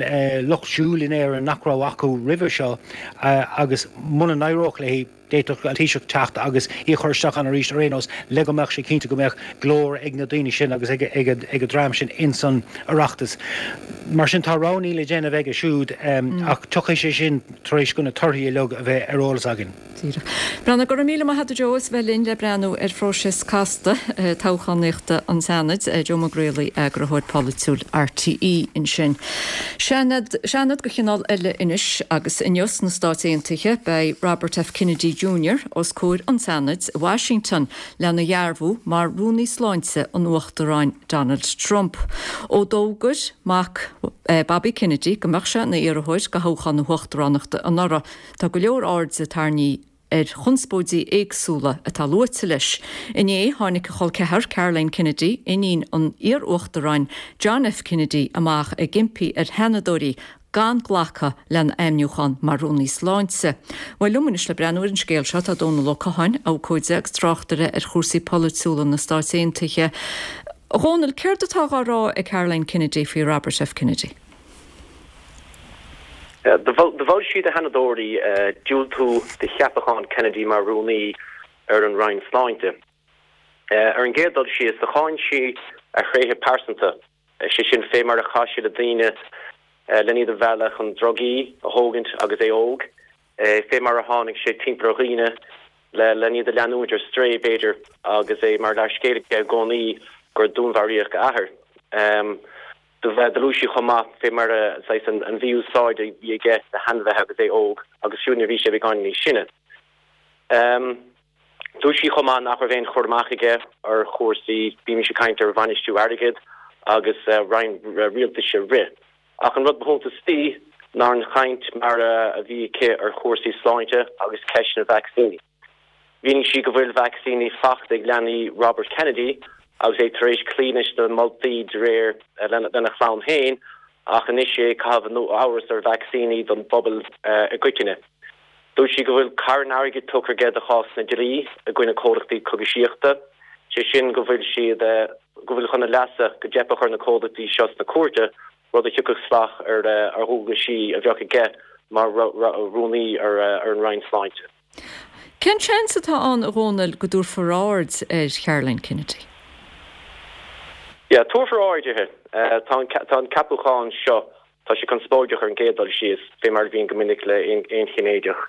lucht siúil in Éirinn nach raibh acu roimhe seo agus muna n-éireodh léi, D'fhéadfadh an Taoiseach teacht agus í a chur isteach ann arís ar aon nós le go mbeadh sé cinnte go mbeadh glór ag na daoine sin agus ag an dream sin ins an Oireachtas. Mar sin tá roghanna le déanamh aige siúd ach tiocfaidh sé sin tar éis do na torthaí uilig a bheith ar eolas againn. Díreach. Breathnach, Go raibh míle maith agat a Joe as bheith linn le breathnú ar phróiseas casta toghchánaíochta an tSeanaid. Joe Mac Grealaigh, Eagarthóir Polaitiúil RTÉ ansin. Seanad, Seanad de chineál eile anois agus inniu sna Stáit Aontaithe beidh Robert F. Kennedy Junior os comhair an tSeanaid i Washington lena dhearbhú mar Rúnaí Sláinte an Uachtaráin Donald Trump. Ó d'fhógair mac Bobby Kennedy go mbeadh sé ina iarrthóir do thoghchán na huachtaránachta anuraidh, tá go leor airde tarraingthe ar chonspóidí éagsúla atá luaite leis. Inné, tháinig a chol ceathar, Caroline Kennedy, iníon an iar-uachtaráin John F. Kennedy, amach ag impí ar sheanadóirí gan glacadh lena ainmniúchán mar Rúnaí Sláinte. Bhuel, liom anois le breathnú ar an scéal seo tá Dónal Ó Catháin, abhcóide agus tráchtaire ar chúrsaí polaitiúla na Stáit Aontaithe. A Dhónaill, céard atá á rá ag Caroline Kennedy faoi Robert F. Kennedy? Do mhol sí do sheanadóirí diúltú do cheapachán Kennedy mar Rúnaí ar an Roinn Sláinte. Ar an gcéad dul síos, do cháin sí a thréithe pearsanta, sé sin fé mar a chaith sé le daoine len iad a mhealladh chun drugaí a thógaint agus é óg, fé mar a tháinig sé timpeall ar dhaoine len iad a leanúint ar strae, b'fhéidir, agus é mar leathscéal aige i gcónaí gur dúnmharaíodh a athair. Do luaigh sí chomh maith fé mar a, saghas, an mhí-úsáid a bhí aige le hainmhithe agus é óg agus fiú nuair a bhí sé beagáinín níos sine. Dúirt sí chomh maith nach raibh aon chur amach aige ar chúrsaí, bímis ag caint ar bhainistiú airgid agus roinn rialtais a rith. Ach an rud ba shuntasaí ná an chaint mar a bhí aici ar chúrsaí sláinte agus ceist na vacsaíní. Mhínigh sí go bhfuil vacsaíní faighte ag leanaí Robert Kennedy agus é tar éis cloí leis na moltaí de réir lena chlann féin ach anois é ag caitheamh amhras ar vacsaíní don bpobal i gcoitinne. Dúirt sí go bhfuil carn airgid tugtha aige do chásanna dlí i gcoinne comhlachtaí cogaisíochta, sé sin go bhfuil siad go bhfuil chun a leasa go dteipfeadh ar na comhlachtaí seo sna cúirte, rud a thiocfadh salach ar ar dhualgaisí a bheadh aige mar rúnaí ar an Roinn Sláinte. Cén seans atá ann, a Dhónaill, go dtabharfar aird ar Charoline Kennedy? Yeah, tabharfar aird uirthi. Tá an ceapachán seo, tá sé conspóideach ar an gcéad dul síos, fé mar a bhíonn go minic le aon Chinnéideach.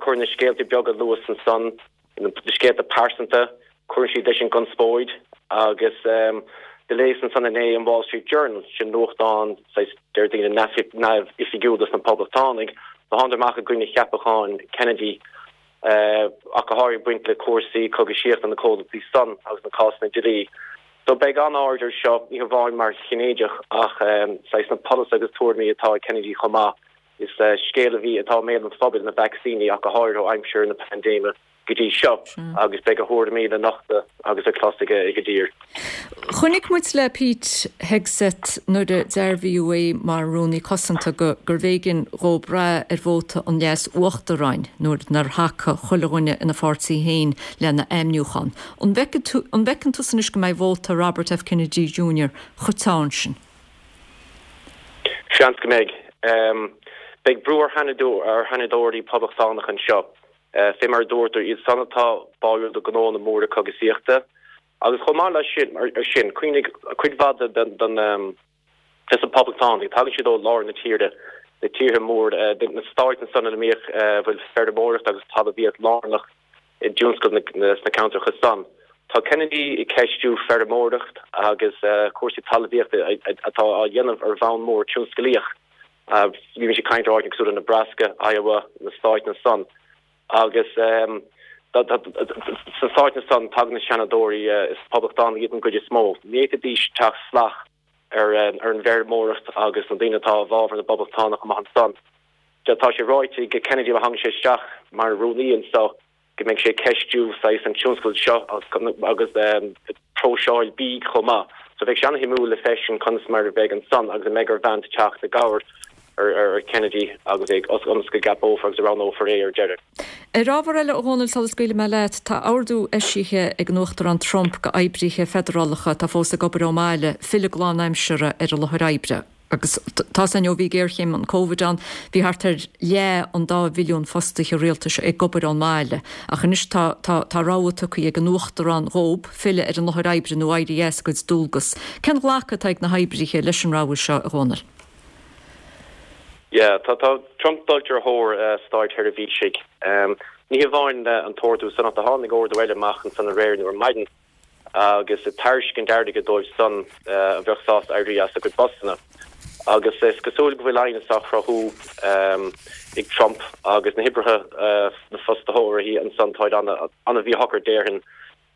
Cuireann na scéalta beaga a luas ansan, na scéalta pearsanta, cuireann siad leis an gconspóid agus do léas ansan inné an Wall Street Journal, sin nuachtán, saghas, deir daoine, neamhoifigiúil dos na Poblachtánaigh, do thánadar amach i gcoinne cheapachán Kennedy, ach go háirithe ag baint le cúrsaí cogaisíochta na comhlachtaí san agus na cásanna dlí. So beidh an-aird air seo, ní hamháin mar Chinnéideach ach saghas na polasaithe agus tuairimí atá ag Kennedy chomh maith. Is scéal a bhí, atá i mbéal an phobail, na vacsaíní ach go háirithe ó aimsir na paindéime go dtí seo agus beidh a thuairimí le nochtadh agus le clos ag an dtír. Chonaic muid le Pete Hegseth nuair a dearbhaíodh é mar Rúnaí Cosanta go gurbh éigean dhó brath ar vóta an Leas-Uachtaráin nuair nár thacaigh chuile dhuine ina pháirtí féin lena ainmniúchán. An bhfeiceann tusa anois go mbeidh vóta Robert F Kennedy Junior chomh teann sin? Seans go mbeidh. Beidh brú ar Sheanadóirí Poblachtánacha anseo. Fé mar a dúradar, iad san atá báúil do ghnónna móra cogasaíochta. Agus chomh maith leis sin, ar sin, cuimhnigh, cuid mhaith den, des na Poblachtánaigh, tagann siad ó lár na tíre, na tíortha móra, na stáit ansan ina mbíodh, a bhfuil feirmeoireacht agus talmhaíocht lárnach i dtionscal sna ceantracha san. Tá Kennedy ag ceistiú feirmeoireacht agus cúrsaí talmhaíochta atá á dhéanamh ar bhonn mór tionsclaíoch. Bhí mise ag caint ar áiteanna cosúil le Nebraska, Iowa, na stáit ansan. Agus sna stáit ansan tagann na Seanadóirí, is Poblachtánaigh iad an gcuid is mó. Ní fhéadfaidís teacht salach ar an bhfeirmeoireacht agus na daoine atá i bhfabhar na bPoblachtánach amach ansan. Tá sé ráite ag Kennedy má thagann sé isteach mar rúnaí anso go mbeidh sé ag ceistiú saghas an tionscail seo agus próiseáil bídh chomh maith. So bheidh sé an-shuimiúil le feiscint conas mar a bheidh ansan agus an mbeidh ar Vance teacht i gcabhair ar Kennedy agus é ionas go gceapófar agus a roghnófar é ar deireadh. Ar ábhar eile, a Dhónaill, sula scaoilfidh mé leat, tá ordú eisithe ag an Uachtarán Trump go oibrithe feidearálacha atá fós ag obair ón mbaile filleadh go lánaimseartha ar an láthair oibre. Agus tá a fhios againn ó bhí géarchéim an Covid ann, bhí thart ar leath an dá mhilliún fostaithe rialtais ag obair ón mbaile. Ach anois tá tá tá rogha tugtha ag an Uachtarán dhób filleadh ar an láthair oibre nó éirí as a gcuid dualgas. Cén ghlacadh atá ag na hoibrithe leis an rogha seo, a Dhónaill? Yeah, tá tá Trump dulta ar thóir stáitsheirbhísigh. Ní hamháin an t-ordú san ach do tháinig ordú eile amach ansan aréir nó ar maidin agus ag tairiscint airgid dóibh san a bheadh sásta éirí as a gcuid postanna. Agus is cosúil go bhfuil aighneas á chruthú ag Trump agus na hoibrithe, na fostaitheoirí ansan, táid ana-mhíshocair déarfainn.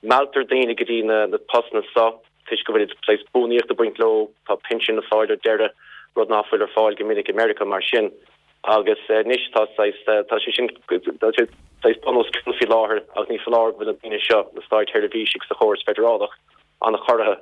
Mealltar daoine go dtí na postanna so toisc go bhfuil saghas buanaíocht ag baint leo, tá pinsean le fáil ar deireadh, rud ná fuil ar fáil go minic i Meiriceá mar sin. Agus anois tá saghas, tá sé sin, tá sé saghas bun os cionn faoi láthair agus ní foláir go bhfuil na daoine seo, na stáitsheirbhísigh sa chóras feidearálach, an-chorraithe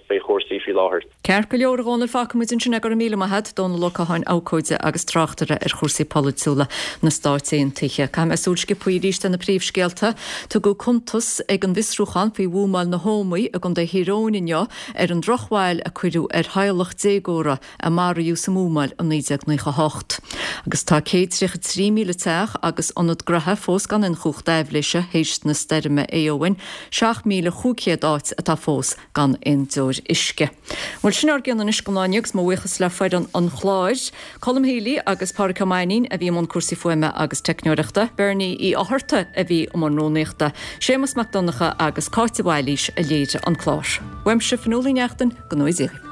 fé chúrsaí faoi láthair. Ceart go leor, a Dhónaill, fágfaidh muid ansin é, go raibh míle maith a't, Dónal Ó Catháin, abhcóide agus tráchtaire ar chúrsaí polaitiúla na Stáit Aontaithe. Caithfidh mé súil sciobtha arís ar na príomhscéalta. Tugadh cuntas ag an bhfiosrúchán faoi bhuamáil na hÓmaí i gContae Thír Eoghain inniu ar an drochbhail a cuireadh ar theaghlach déagóra a maraíodh sa mbuamáil i naoi déag naocha a hocht. Agus tá céad tríocha trí míle teach agus ionad graithe fós gan aon chumhacht aibhléise théis na stoirme Éowyn, seacht míle chúig chéad áit atá fós gan aon deoir uisce. Bhuel, sin ár gcion anois don lá inniu agus mo bhuíochas le foireann an chláir, Colm Healy agus Pádraic Ó Mainnín a bhí i mbun cúrsaí fuaime agus teicneoireachta, Bernie Uí Fhátharta a bhí i mbun rúnaíochta, Séamus Mac Donncha agus Cáit de Bhailís a léirigh an clár. Uaimse, Fionnuala Uí Neachtain, go ngnóthaí Dia dhaoibh.